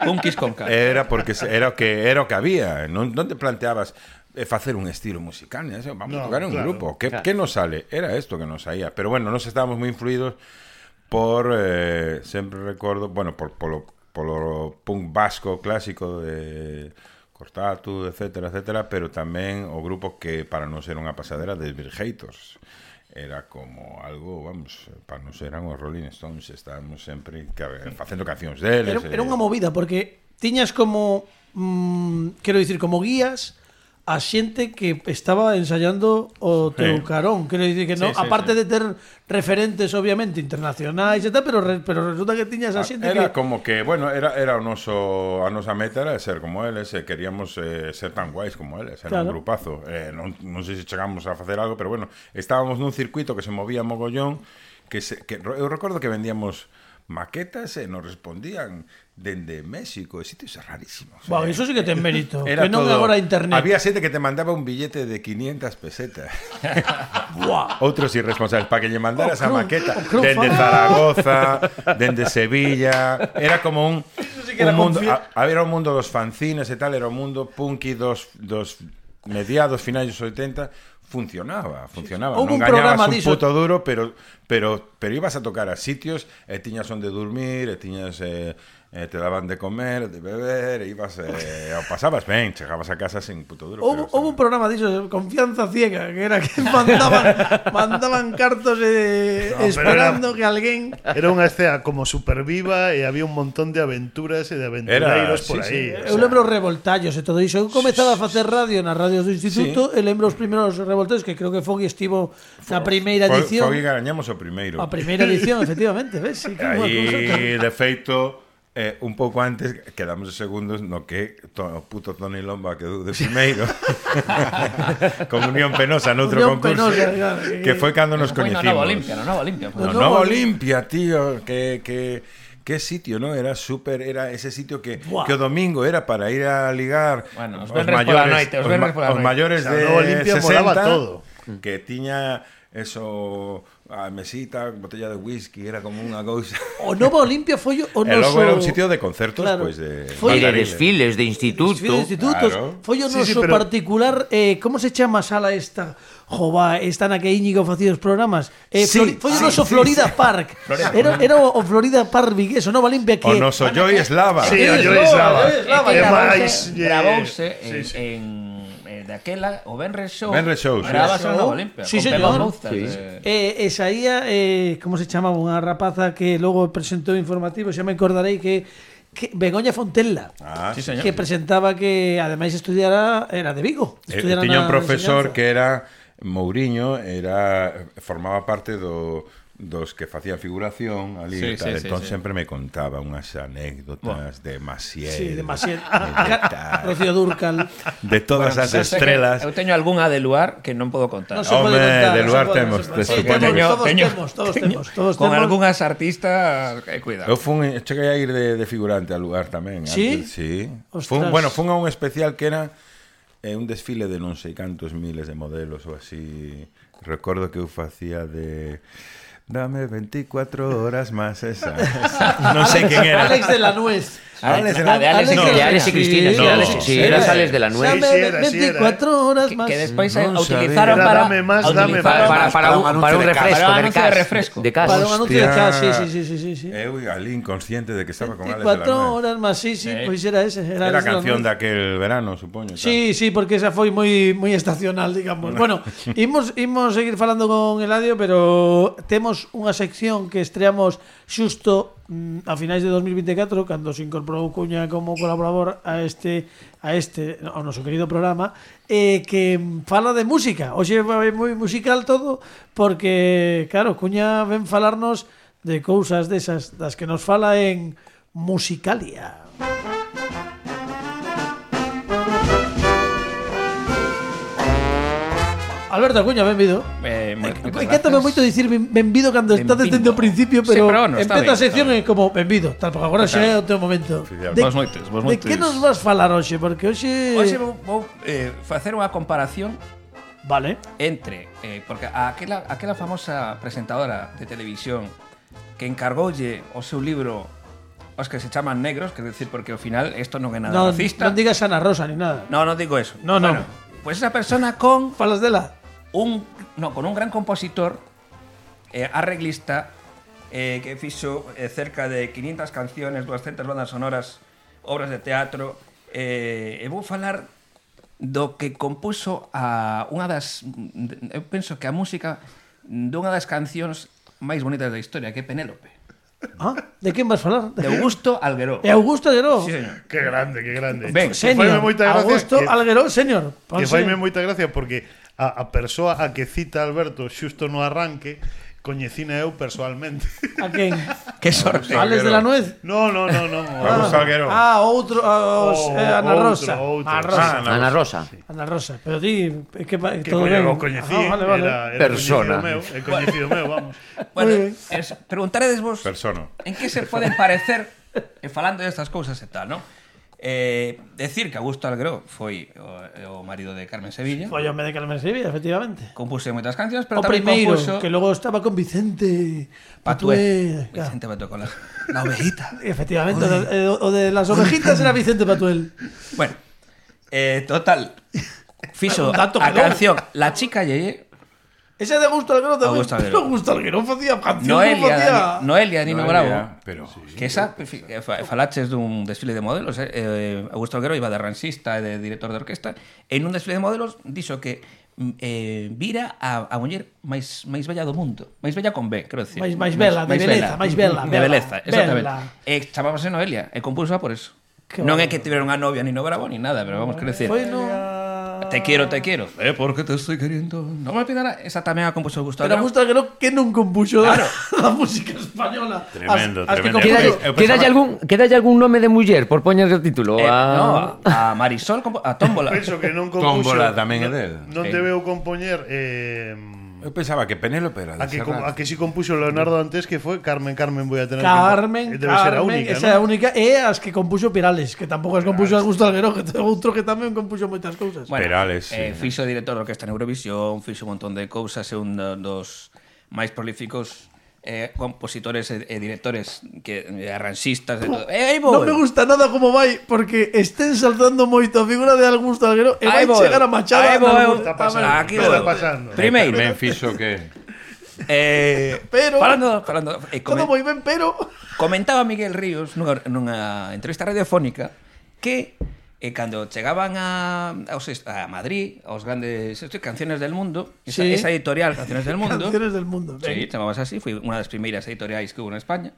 Punkis con cara. Era porque era o que había. Non te planteabas facer un estilo musical, vamos a tocar un grupo. Que nos sale? Era esto que nos saía. Pero bueno, nos estábamos moi influídos por, sempre recordo, bueno, polo punk vasco clásico de Cortatu, etcétera, pero tamén o grupo que para non ser unha pasadera de Desvirgators. Era como algo, vamos, para non ser eran os Rolling Stones, estábamos sempre facendo cancións deles. Era unha movida, porque tiñas como, quero dicir, como guías a xente que estaba ensayando o teu carón. Quero dicir que non, aparte de ter referentes obviamente internacionais e tal, pero resulta que tiñas a xente era como que, bueno, era a nosa meta era ser como eles, queríamos ser tan guais como eles, era un grupazo. Non sei se chegamos a facer algo, pero bueno, estábamos nun circuito que se movía mogollón, que eu recordo que vendíamos maquetas e nos respondían dende México, e sitios rarísimos. Wow, eso sí que ten mérito. Que non agora internet. Había xente que te mandaba un billete de 500 pesetas. Outros irresponsables para que lle mandaras a maqueta dende Zaragoza, dende Sevilla. Era como un mundo, era un mundo dos fanzines e tal, era un mundo punky dos mediados, finais dos 80. Funcionaba. Non gañabas un puto duro, pero ibas a tocar a sitios e tiñas onde dormir, e tiñas te daban de comer, de beber, ibas, o pasabas ben, chegabas a casa sin puto duro. Houve un programa diso, Confianza Ciega, que era que mandaban cartos esperando que alguén... Era unha escena como superviva e había un montón de aventuras e de aventureiros por aí. Eu lembro os revoltallos e todo iso. Eu comezaba a facer radio nas radios do instituto e lembro os primeiros revoltallos, que creo que Fogui estivo na primeira edición. Fogui gañamos o primeiro. A primeira edición, efectivamente, ves? Sí, aí, de feito... un pouco antes quedamos de segundos no que o puto Tony Lomba quedou de primeiro con Unión Penosa noutro concurso que foi cando nos coñecimos. No Nova Olimpia, tío, que sitio, ¿no? Era súper, era ese sitio que o domingo era para ir a ligar os maiores de 60 que tiña eso, a mesita, botella de whisky, era como unha cousa. O Nova Olimpia foi o noso... E logo era un sitio de concertos, pois de desfiles de instituto. Claro. Foi o noso particular, como se chama a sala esta? Jova, está na que Íñigo facía os programas. Foi o noso Florida Park. Era o Florida Park Vigués, o Nova Olimpia que... O noso Joy Eslava. Sí, o Joy Eslava. Gravouse en daquela o Benres Show. Grabas en Nova Olimpia. Sí, señor. E saía, como se chamaba, unha rapaza que logo presentou informativo, xa me acordarei que Begoña Fontella, que presentaba que ademais estudiara, era de Vigo. Tiña un profesor que era Mouriño, formaba parte dos que facían figuración ali, entón sempre me contaba unhas anécdotas de Maciel, Rocío Dúrcal, de todas as estrelas. Eu teño algunha de Luar que non podo contar. De Luar temos. Todos temos. Con algunhas artistas, cuidado. Eu cheguei a ir de figurante al Luar tamén. Sí? Sí. Fun a un especial que era un desfile de non sei cantos miles de modelos ou así. Recordo que eu facía de... Dame 24 horas más esa. Non sei quen era. Alex de la Nuez. Alex y Cristina. Sí, era Alex de la Nuez. Dame 24 horas más. Que despois utilizaron para un refresco de casa. Para un anuncio de casa, sí. Eu ali inconsciente de que estaba con Alex de la Nuez. 24 horas más, sí, pois era ese. Era a canción daquel verano, supoño. Sí, porque esa foi moi estacional, digamos. Bueno, imos seguir falando con Eladio, pero temos unha sección que estreamos xusto a finais de 2024 cando se incorporou Cuña como colaborador ao noso querido programa, que fala de música. Hoxe vai moi musical todo porque, claro, Cuña ven falarnos de cousas desas das que nos fala en Musicalia. Alberto Acuña, benvido. Encántame moito dicir benvido cando estades dende o principio, pero empeza a sección como benvido, tal, porque agora xa é o teu momento. Vos moitos. De que nos vas falar hoxe? Porque hoxe vou facer unha comparación entre porque aquela famosa presentadora de televisión que encargoulle o seu libro os que se chaman negros, quer decir, porque ao final isto non é nada racista. Non digas Ana Rosa ni nada. Non digo eso. Bueno, pues esa persona con... Falas dela? Con un gran compositor, arreglista, que fixo cerca de 500 canciones, 200 bandas sonoras, obras de teatro, e vou falar do que compuso a unha das... Eu penso que a música dunha das cancións máis bonitas da historia, que é Penélope. De quen vas falar? De Augusto Algueró. É Augusto Algueró? Sí, señor. Que grande. Ben, señor. Augusto Algueró, señor. Que faime moita gracia porque a persoa a que cita Alberto xusto no arranque coñecina eu persoalmente. A quen? Que sorte. Alex de la Nuez? No. Augusto Algueró. Outro, Ana Rosa. Ana Rosa. Ana Rosa. Pero di que todo ben. Que coñecí, era persona. Coñecido meu, vamos. Bueno, preguntaredes vos persona. En que se poden parecer falando destas cousas e tal, non? Decir que Augusto Algueró foi o marido de Carmen Sevilla. Foi o home de Carmen Sevilla, efectivamente. Compuse moitas cancións, pero o tamén primeiro, compuso... que logo estaba con Vicente Patué. Vicente Patué con la ovejita. Efectivamente, o de las ovejitas era Vicente Patuel. Bueno, total, fixo a canción La Chica Yeye. Esa de Augusto Alguero tamén. Augusto Alguero facía cancións, Noelia, Nino Bravo. Pero Que esa, falaches dun desfile de modelos, Augusto Alguero iba de ransista e de director de orquesta, e nun desfile de modelos dixo que vira a muller máis bella do mundo. Máis bella con B, quero decir. Máis bela, de beleza, máis bela. De beleza, exactamente. E chamábase Noelia, e compuso por eso. Non é que tiveron a novia Nino Bravo ni nada, pero vamos, quero decir. Te quiero. Porque te estoy queriendo. Non me pidan esa tamén a compuso Augusto Alguero. Pero Augusto Alguero que non compuxo a música española. Tremendo. Quedalle algún nome de muller por poñer o título? No, a Marisol, a Tómbola. Penso que non compuxo. Tómbola tamén é del. Non debeu compoñer Eu pensaba que Penélope era de a que si compuxo Leonardo antes, que foi Carmen, voy a tener Carmen, debe ser a única, esa é a única, e as que compuxo Perales, que tampouco as compuxo Augusto Alguero, que outro que tamén compuxo moitas cousas. Bueno, Perales, sí. Fixo director de orquesta en Eurovisión, fixo un montón de cousas, é un dos máis prolíficos compositores e directores que arranxistas de todo. Non me gusta nada como vai, porque estén saltando moito a figura de Augusto Alguero e vai chegar a Machado. Está pasando. Primeiro. Tamén fixo que pero falando todo moi ben, pero comentaba Miguel Ríos nunha entrevista radiofónica que cando chegaban a Madrid, aos grandes Canciones del Mundo, esa editorial Canciones del Mundo. Canciones del Mundo. Sí, chamabas así, foi unha das primeiras editoriais que hubo en España.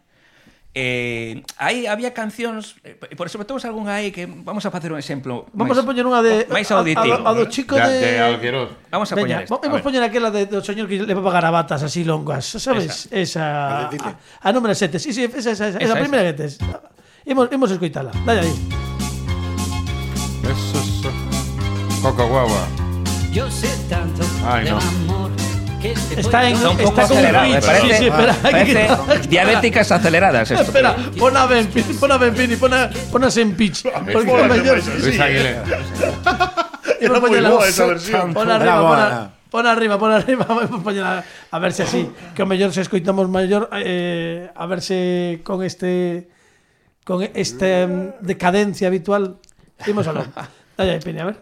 Aí había cancións, por eso metemos algunha aí que vamos a facer un exemplo. Vamos a poñer unha de máis auditivo. A do chico de Alguero. Vamos a poñer esta. Vamos a poñer aquela do señor que leva garabatas así longas, sabes? Esa a número 7. Sí, esa primeira que tes. Imos escoitala. Dalle aí. Eso. Coco guagua. Yo sé tanto Ay, no. amor que está con un acelerado, pitch. Sí, parece diabéticas aceleradas esto. Espera, pon a Benpini, ponas en pitch. Porque é mellor. Luis Aguilera. Era moi boa esa versión. Pon arriba, vamos poñela a ver se así, que o mellor se escoitamos maior, a ver se con esta decadencia habitual. Imos aló. Dalle aí, Pini, a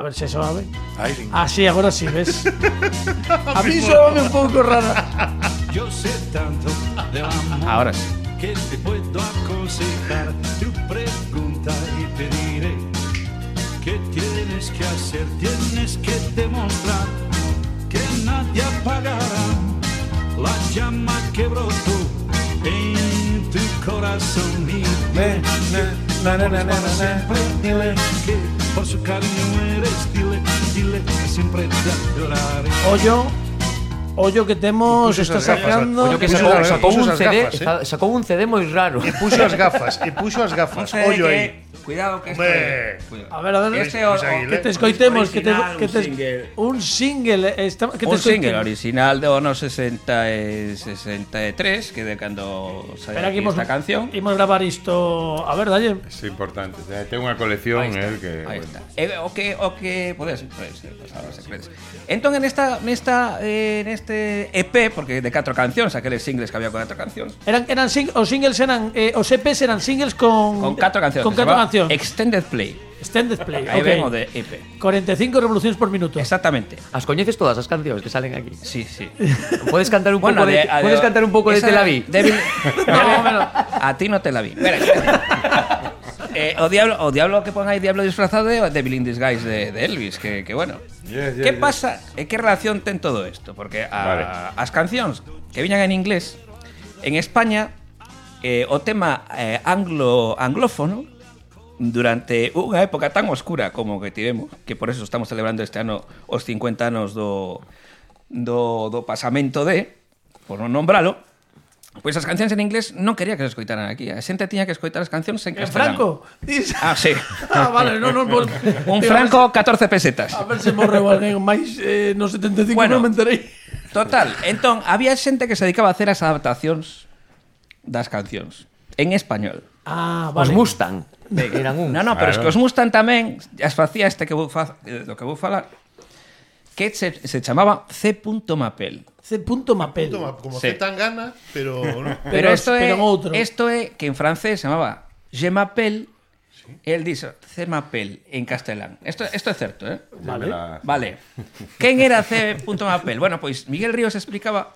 ver se soave. Así, agora sí, ves? A mí soave un pouco rara. yo sé tanto de amor. Ahora sí. Que te puedo aconsejar. Tu pregunta y te diré qué tienes que hacer. Tienes que demostrar que nadie apagará la llama que brotó en tu corazón. Dile que por su cariño eres, dile que siempre te adoraré. Ollo que temos, está sacando. Ollo que sacou un CD moi raro. E puxo as gafas. Ollo aí. Cuidado que esto A ver. Que te escoitemos, que un single, un single original do ano 63, que de cando saiu esta canción. Imos gravar isto, a ver, dalle. É importante, ten unha colección que aí está. O que podes pasar as secretas. Entón en este EP, porque de 4 cancións, aqueles singles que había con 4 cancións. Os singles eran os EPs eran singles con 4 cancións. Con 4 cancións. Extended Play. Aí ven o de EP. 45 revolucións por minuto. Exactamente. As coñeces todas as cancións que salen aquí? Sí. Podes cantar un pouco de Te la vi? No, a ti no te la vi. O diablo que pon aí, Diablo disfrazado de Devil in Disguise de Elvis, que bueno. ¿Qué pasa? ¿Qué relación ten todo esto? Porque as cancións que viñan en inglés, en España, o tema anglófono, durante unha época tan oscura como que tivemos, que por eso estamos celebrando este ano os 50 anos do pasamento por non nombralo, pois as cancións en inglés non quería que se escoitaran aquí. A xente tiña que escoitar as cancións en castelano. Franco? Sí. Vale, non. Un franco, 14 pesetas. A ver se morreu alguén máis no 75, non me enterei. Total, entón, había xente que se dedicaba a hacer as adaptacións das cancións en español. Vale. Os Mustang eran un. No, pero es que os Mustang tamén as facía do que vou falar, que se chamaba C. Mapel. C.Mapel. Como C. Tangana, pero Pero isto é que en francés se chamaba Je m'appelle El dixo C-Mapel en castelán. Esto é certo, eh? Vale. Quen era C.Mapel? Bueno, pois Miguel Ríos explicaba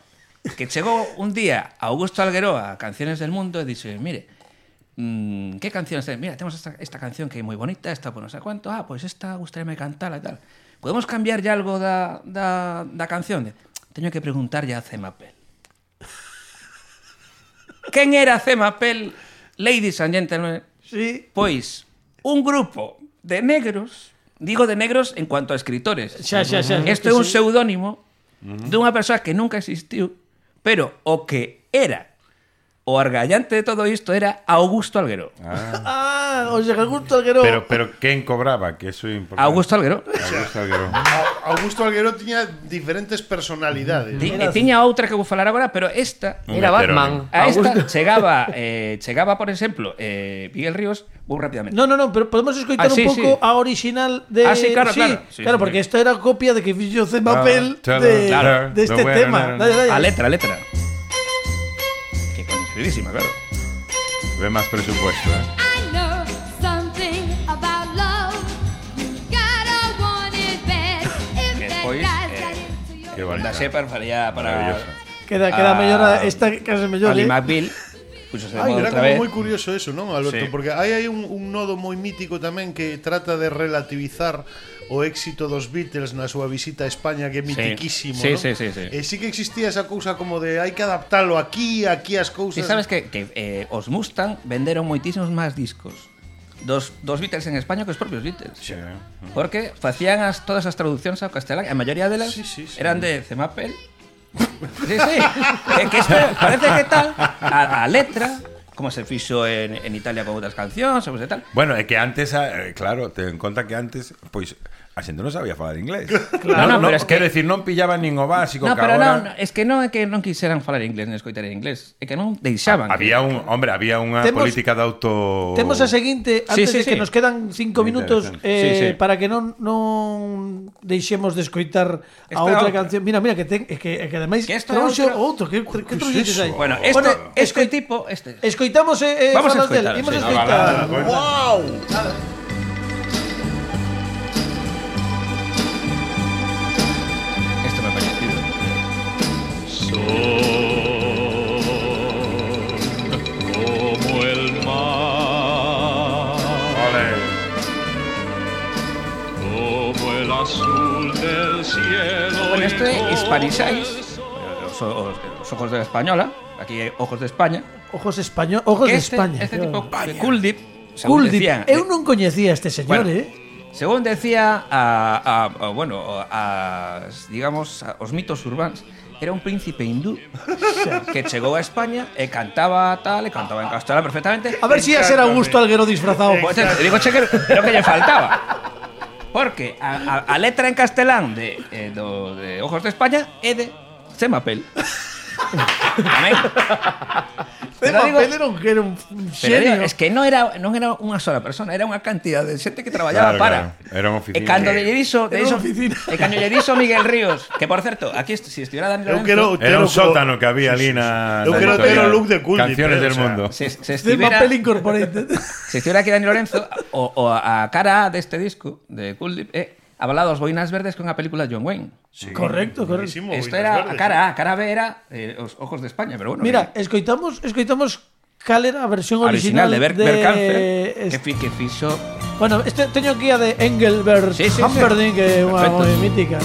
que chegou un día a Augusto Algueró a Canciones del Mundo e dixe, mire, ¿qué canciones tenemos? Mira, tenemos esta canción que é moi bonita, esta por no sé cuánto, pois esta gustaríame cantarla e tal. Podemos cambiar ya algo da canción? Teño que preguntar ya a C-Mapel. Quen era C-Mapel, ladies and gentlemen? Sí. Pois, un grupo de negros, digo de negros en cuanto a escritores. Xa. Isto é un pseudónimo dunha persoa que nunca existiu, pero o que era o argallante de todo isto era Augusto Algueró. O sea, Augusto Algueró. Pero quen cobraba? Que eso é importante. Augusto Algueró. Augusto Algueró tiña diferentes personalidades. Tiña outra que vou falar agora, pero esta era Batman. A esta chegaba, por exemplo, Miguel Ríos, vou rapidamente. No, pero podemos escoitar un pouco a original de... sí, claro. Claro, porque esta era copia de que fixo C-Mapel de este tema. Dale. A letra. Que coñecidísima, claro. Ve máis presupuesto, eh? I know something about love. You gotta want it bad. If that Despois, guy's got into your Qué bonita. Da Shepard faría para... Queda mellor esta case mellor, Ali McBeal. Puxose de moda Era outra como vez. moi curioso eso, non, Alberto? Sí. Porque hai un nodo moi mítico tamén que trata de relativizar o éxito dos Beatles na súa visita a España, que é mitiquísimo, Sí. non? E sí que existía esa cousa como de hai que adaptalo aquí as cousas. E sabes que os Mustang venderon moitísimos máis discos dos Beatles en España que os propios Beatles. Sí. Porque facían todas as traduccións ao castelán. A maioría delas eran de C-Mapel. Sí. Que isto parece que tal a letra, como se fixo en Italia con outras cancións, ou tal. Bueno, é que antes, claro, ten en conta que antes, pois, a xente non sabía falar inglés. Claro, pero es que... Quero decir, non pillaban nin o básico, No, que pero agora... é que non quixeran falar inglés nin escoitar en inglés. É que non deixaban. Había unha política de auto... Temos a seguinte, antes de que nos quedan 5 minutos para que non deixemos de escoitar a outra canción. Mira, que ademais que outro, que trouxetes aí. Bueno, este tipo, escoitamos vamos a escoitar. escoitar. Wow. Esto me ha parecido. Como el mar, como el azul del cielo. Bueno, esto é Hispanixais, os ojos de la española, aquí hai ojos de España. Ojos de España. Este tipo de Kuldip, eu non coñecía este señor, Según decía digamos, os mitos urbanos, era un príncipe hindú que chegou a España e cantaba en castelán perfectamente. A ver si ia ser Augusto Algueró disfrazado. Pues digo, che, que lo que lle faltaba. Porque a letra en castelán de Ojos de España é de C-Mapel. Amén. C-Mapel era un xenio. Es que non era unha sola persona, era unha cantidad de xente que traballaba para. Era unha oficina. E cando lle dixo Miguel Ríos, que por certo, aquí si estuviera Dani Lorenzo, era un sótano que había ali na. Eu quero ter o look de Kuldip. Canciones del mundo. C-Mapel Incorporated. Se estuviera aquí Dani Lorenzo, o a cara deste disco de Kuldip Avalados Boinas Verdes con a película de John Wayne. Sí, correcto. Isto era a cara B era Os Ojos de España, pero bueno. Mira, escoitamos cal era a versión original de Berkanfer, que fixo. Bueno, teño aquí a de Engelbert Humperdinck, que é unha moi mítica.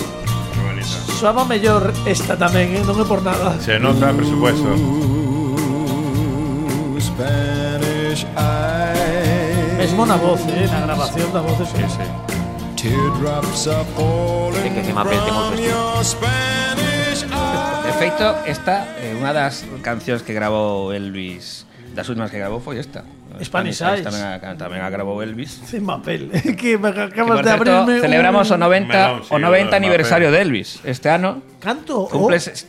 Soaba mellor esta tamén, non é por nada. Se nota, por supuesto. Mesmo na voz, na grabación da voz. Sí. Que C-Mapel ten outro estilo. De feito, esta é unha das cancións que grabou Elvis. Das últimas que grabou foi esta. Spanish Eyes. Tamén a grabou Elvis. C-Mapel. Que me acabas de abrirme. Celebramos o 90 aniversario de Elvis este ano. Canto?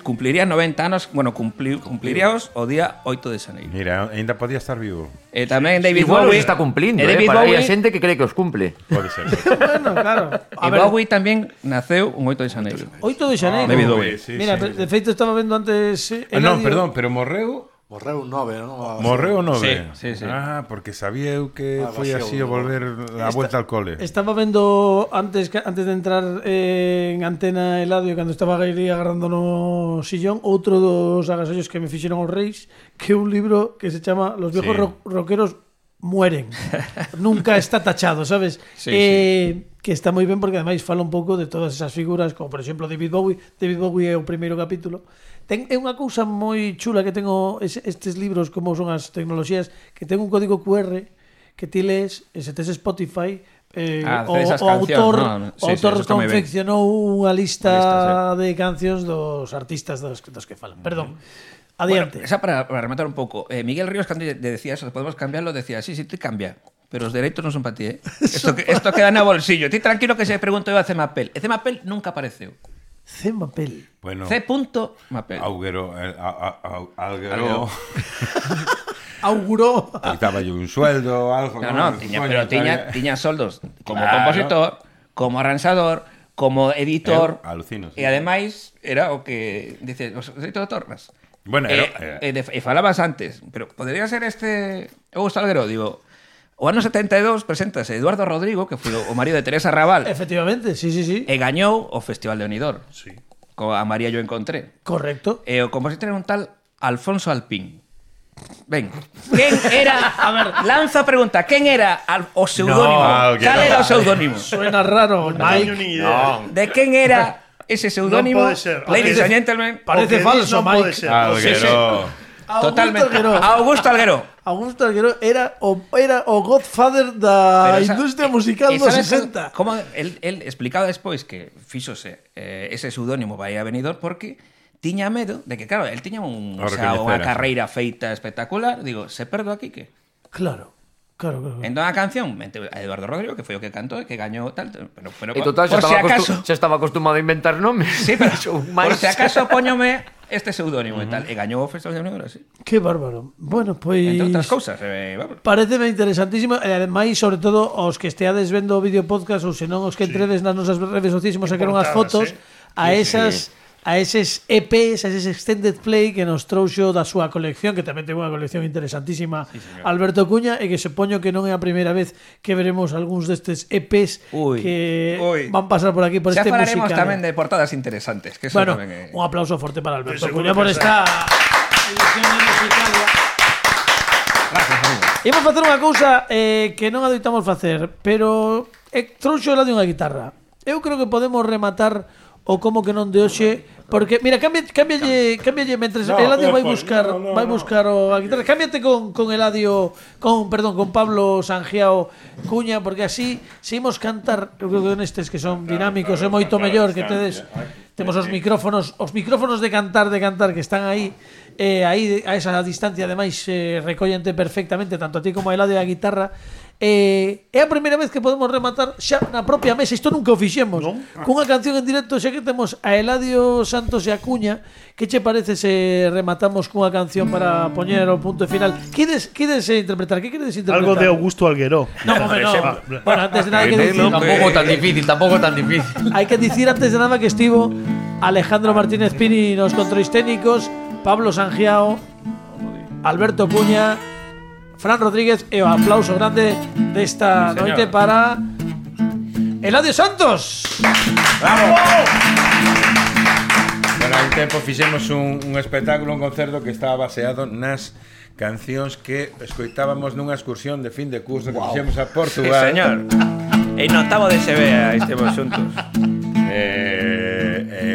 Cumpliría 90 anos, bueno, cumpliríaos o día 8 de xaneiro. Mira, ainda podía estar vivo. Tamén David Igual Bowie está cumplindo, David para Bowie, hai xente que cree que os cumple. Pode ser. Bueno, claro. Bowie tamén naceu un 8 de xaneiro. 8 de xaneiro. David Bowie. Sí, Mira, de feito estaba vendo antes non, perdón, pero morreu Morreu 9, non? Morreu 9? Sí. Ah, porque sabía eu que foi así o volver a vuelta al cole. Estaba vendo antes de entrar en Antena Eladio, cando estaba aí agarrando no sillón, outro dos agasallos que me fixeron os reis, que é un libro que se chama Los viejos rockeros mueren. Nunca está tachado, sabes? Que está moi ben porque ademais fala un pouco de todas esas figuras, como por exemplo David Bowie. David Bowie é o primeiro capítulo. É unha cousa moi chula que tengo estes libros, como son as tecnoloxías, que ten un código QR que ti lees, e se tes Spotify, o autor confeccionou unha lista de cancións dos artistas dos que falan. Perdón. Adiante. Bueno, esa para rematar un pouco. Miguel Ríos, cando decía eso, podemos cambiarlo, decía, sí, te cambia, pero os dereitos non son para ti, Esto queda na bolsillo. Ti tranquilo que se pregunto eu a Cemapel. E Cemapel nunca apareceu. Cemapel. Bueno, C.Mapel. Alguero. Auguró. Estaba yo un sueldo, algo. Pero tiña soldos como compositor, como arranxador, como editor. Alucino. E ademais era o que dice, os dereitos de Torres. Bueno, e falabas antes, pero podería ser Augusto Alguero, digo. O ano 72 preséntase Eduardo Rodrigo, que foi o marido de Teresa Raval. Efectivamente, sí. E gañou o Festival de Benidorm. Sí. A María yo encontré. Correcto. E o compositor era un tal Alfonso Alpín. Ben, quen era... A ver, lanza a pregunta. Quen era o pseudónimo? Cal era o pseudónimo? Suena raro. De quen era ese pseudónimo? Non pode ser. Ladies and gentlemen. Parece falso, Mike. Alguero. Totalmente. Augusto Alguero. Augusto Alguero era o godfather da industria musical dos 60. Como el explicaba despois que fíxose ese pseudónimo vai a Benidorm porque tiña medo de que, claro, el tiña unha carreira feita espectacular. Digo, se perdo aquí, que? Claro. Entón a canción mente a Eduardo Rodrigo, que foi o que cantou e que gañou tal, pero e total, xa estaba acostumado a inventar nomes. Sí, pero por si acaso poñome este pseudónimo e tal, e gañou o Festival de Benidorm, así. Que bárbaro. Bueno, pois entre outras cousas, pareceme interesantísimo, e ademais, sobre todo, os que esteades vendo o vídeo podcast ou senón os que entredes nas nosas redes sociais, sacaron as fotos a eses EPs, a eses Extended Play que nos trouxo da súa colección, que tamén ten unha colección interesantísima, Alberto Cuña, e que supoño que non é a primeira vez que veremos algúns destes EPs que van pasar por aquí, por este musical. Xa falaremos tamén de portadas interesantes, que eso bueno, tamén é... un aplauso forte para Alberto Cuña por esta edición de Musicalia. Gracias, amigo. Imos facer unha cousa que non adoitamos facer, pero trouxo la de unha guitarra. Eu creo que podemos rematar o como que non de hoxe, porque mira, cámbialle mentres Eladio vai buscar a guitarra. Cámbiate con Eladio, con Pablo Sangiao Cuña, porque así seguimos cantar, eu creo que nestes que son dinámicos é moito mellor que temos os micrófonos de cantar que están aí a esa distancia, ademais recollente perfectamente tanto a ti como a Eladio a guitarra. É a primeira vez que podemos rematar xa na propia mesa, isto nunca o fixemos, cunha canción en directo, xa que temos a Eladio Santos e a Cuña. Que che parece se rematamos cunha canción para poñer o punto final? Quides interpretar? Que queredes interpretar? Algo de Augusto Alguero. No. Bueno, antes de nada que decir, tampouco tan difícil. Hai que dicir antes de nada que estivo Alejandro Martínez Pini nos controis técnicos, Pablo Sangiao, Alberto Cuña, Fran Rodríguez, e o aplauso grande desta noite para Eladio Santos. ¡Bravo! Bueno, hai tempo fixemos un espectáculo, un concerto que estaba baseado nas cancións que escoitábamos nunha excursión de fin de curso que fixemos a Portugal. Sí, señor. E notavo de SBA estemos xuntos.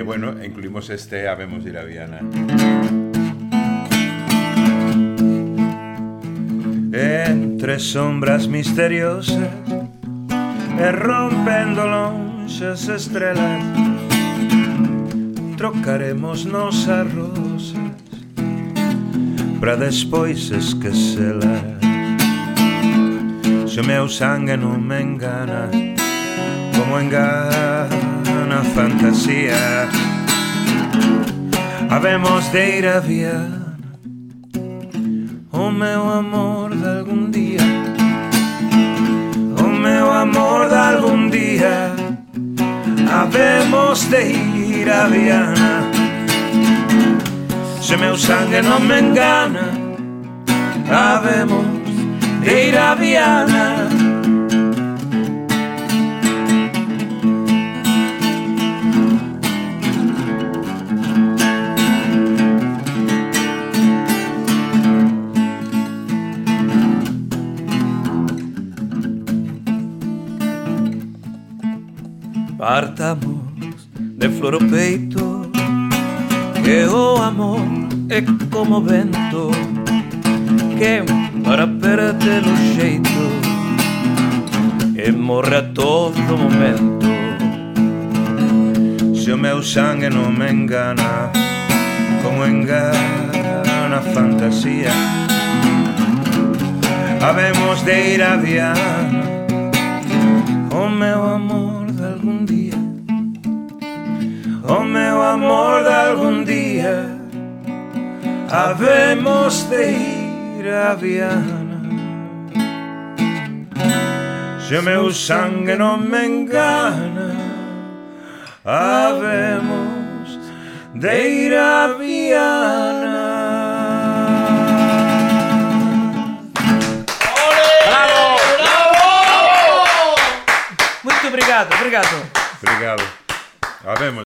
Bueno, incluímos este Habemos de ir a Viana. Entre sombras misteriosas e rompendo lonxas estrelas, trocaremos nosas rosas pra despois esquecelas. Se o meu sangue non me engana, como engana a fantasía, habemos de ir a Viana, o meu amor de algún día, o meu amor de algún día, habemos de ir a Viana. Se meu sangue non me engana, habemos de ir a Viana. Partamos de flor o peito, que o amor é como vento que para perder o xeito e morre a todo momento. Se o meu sangue non me engana, como engana a fantasía, habemos de ir a Viana, o meu amor de algún día, o meu amor de algún día, habemos de ir a Viana. Se o meu sangue non me engana, habemos de ir a Viana. Muito obrigado, obrigado. Obrigado. Habemos.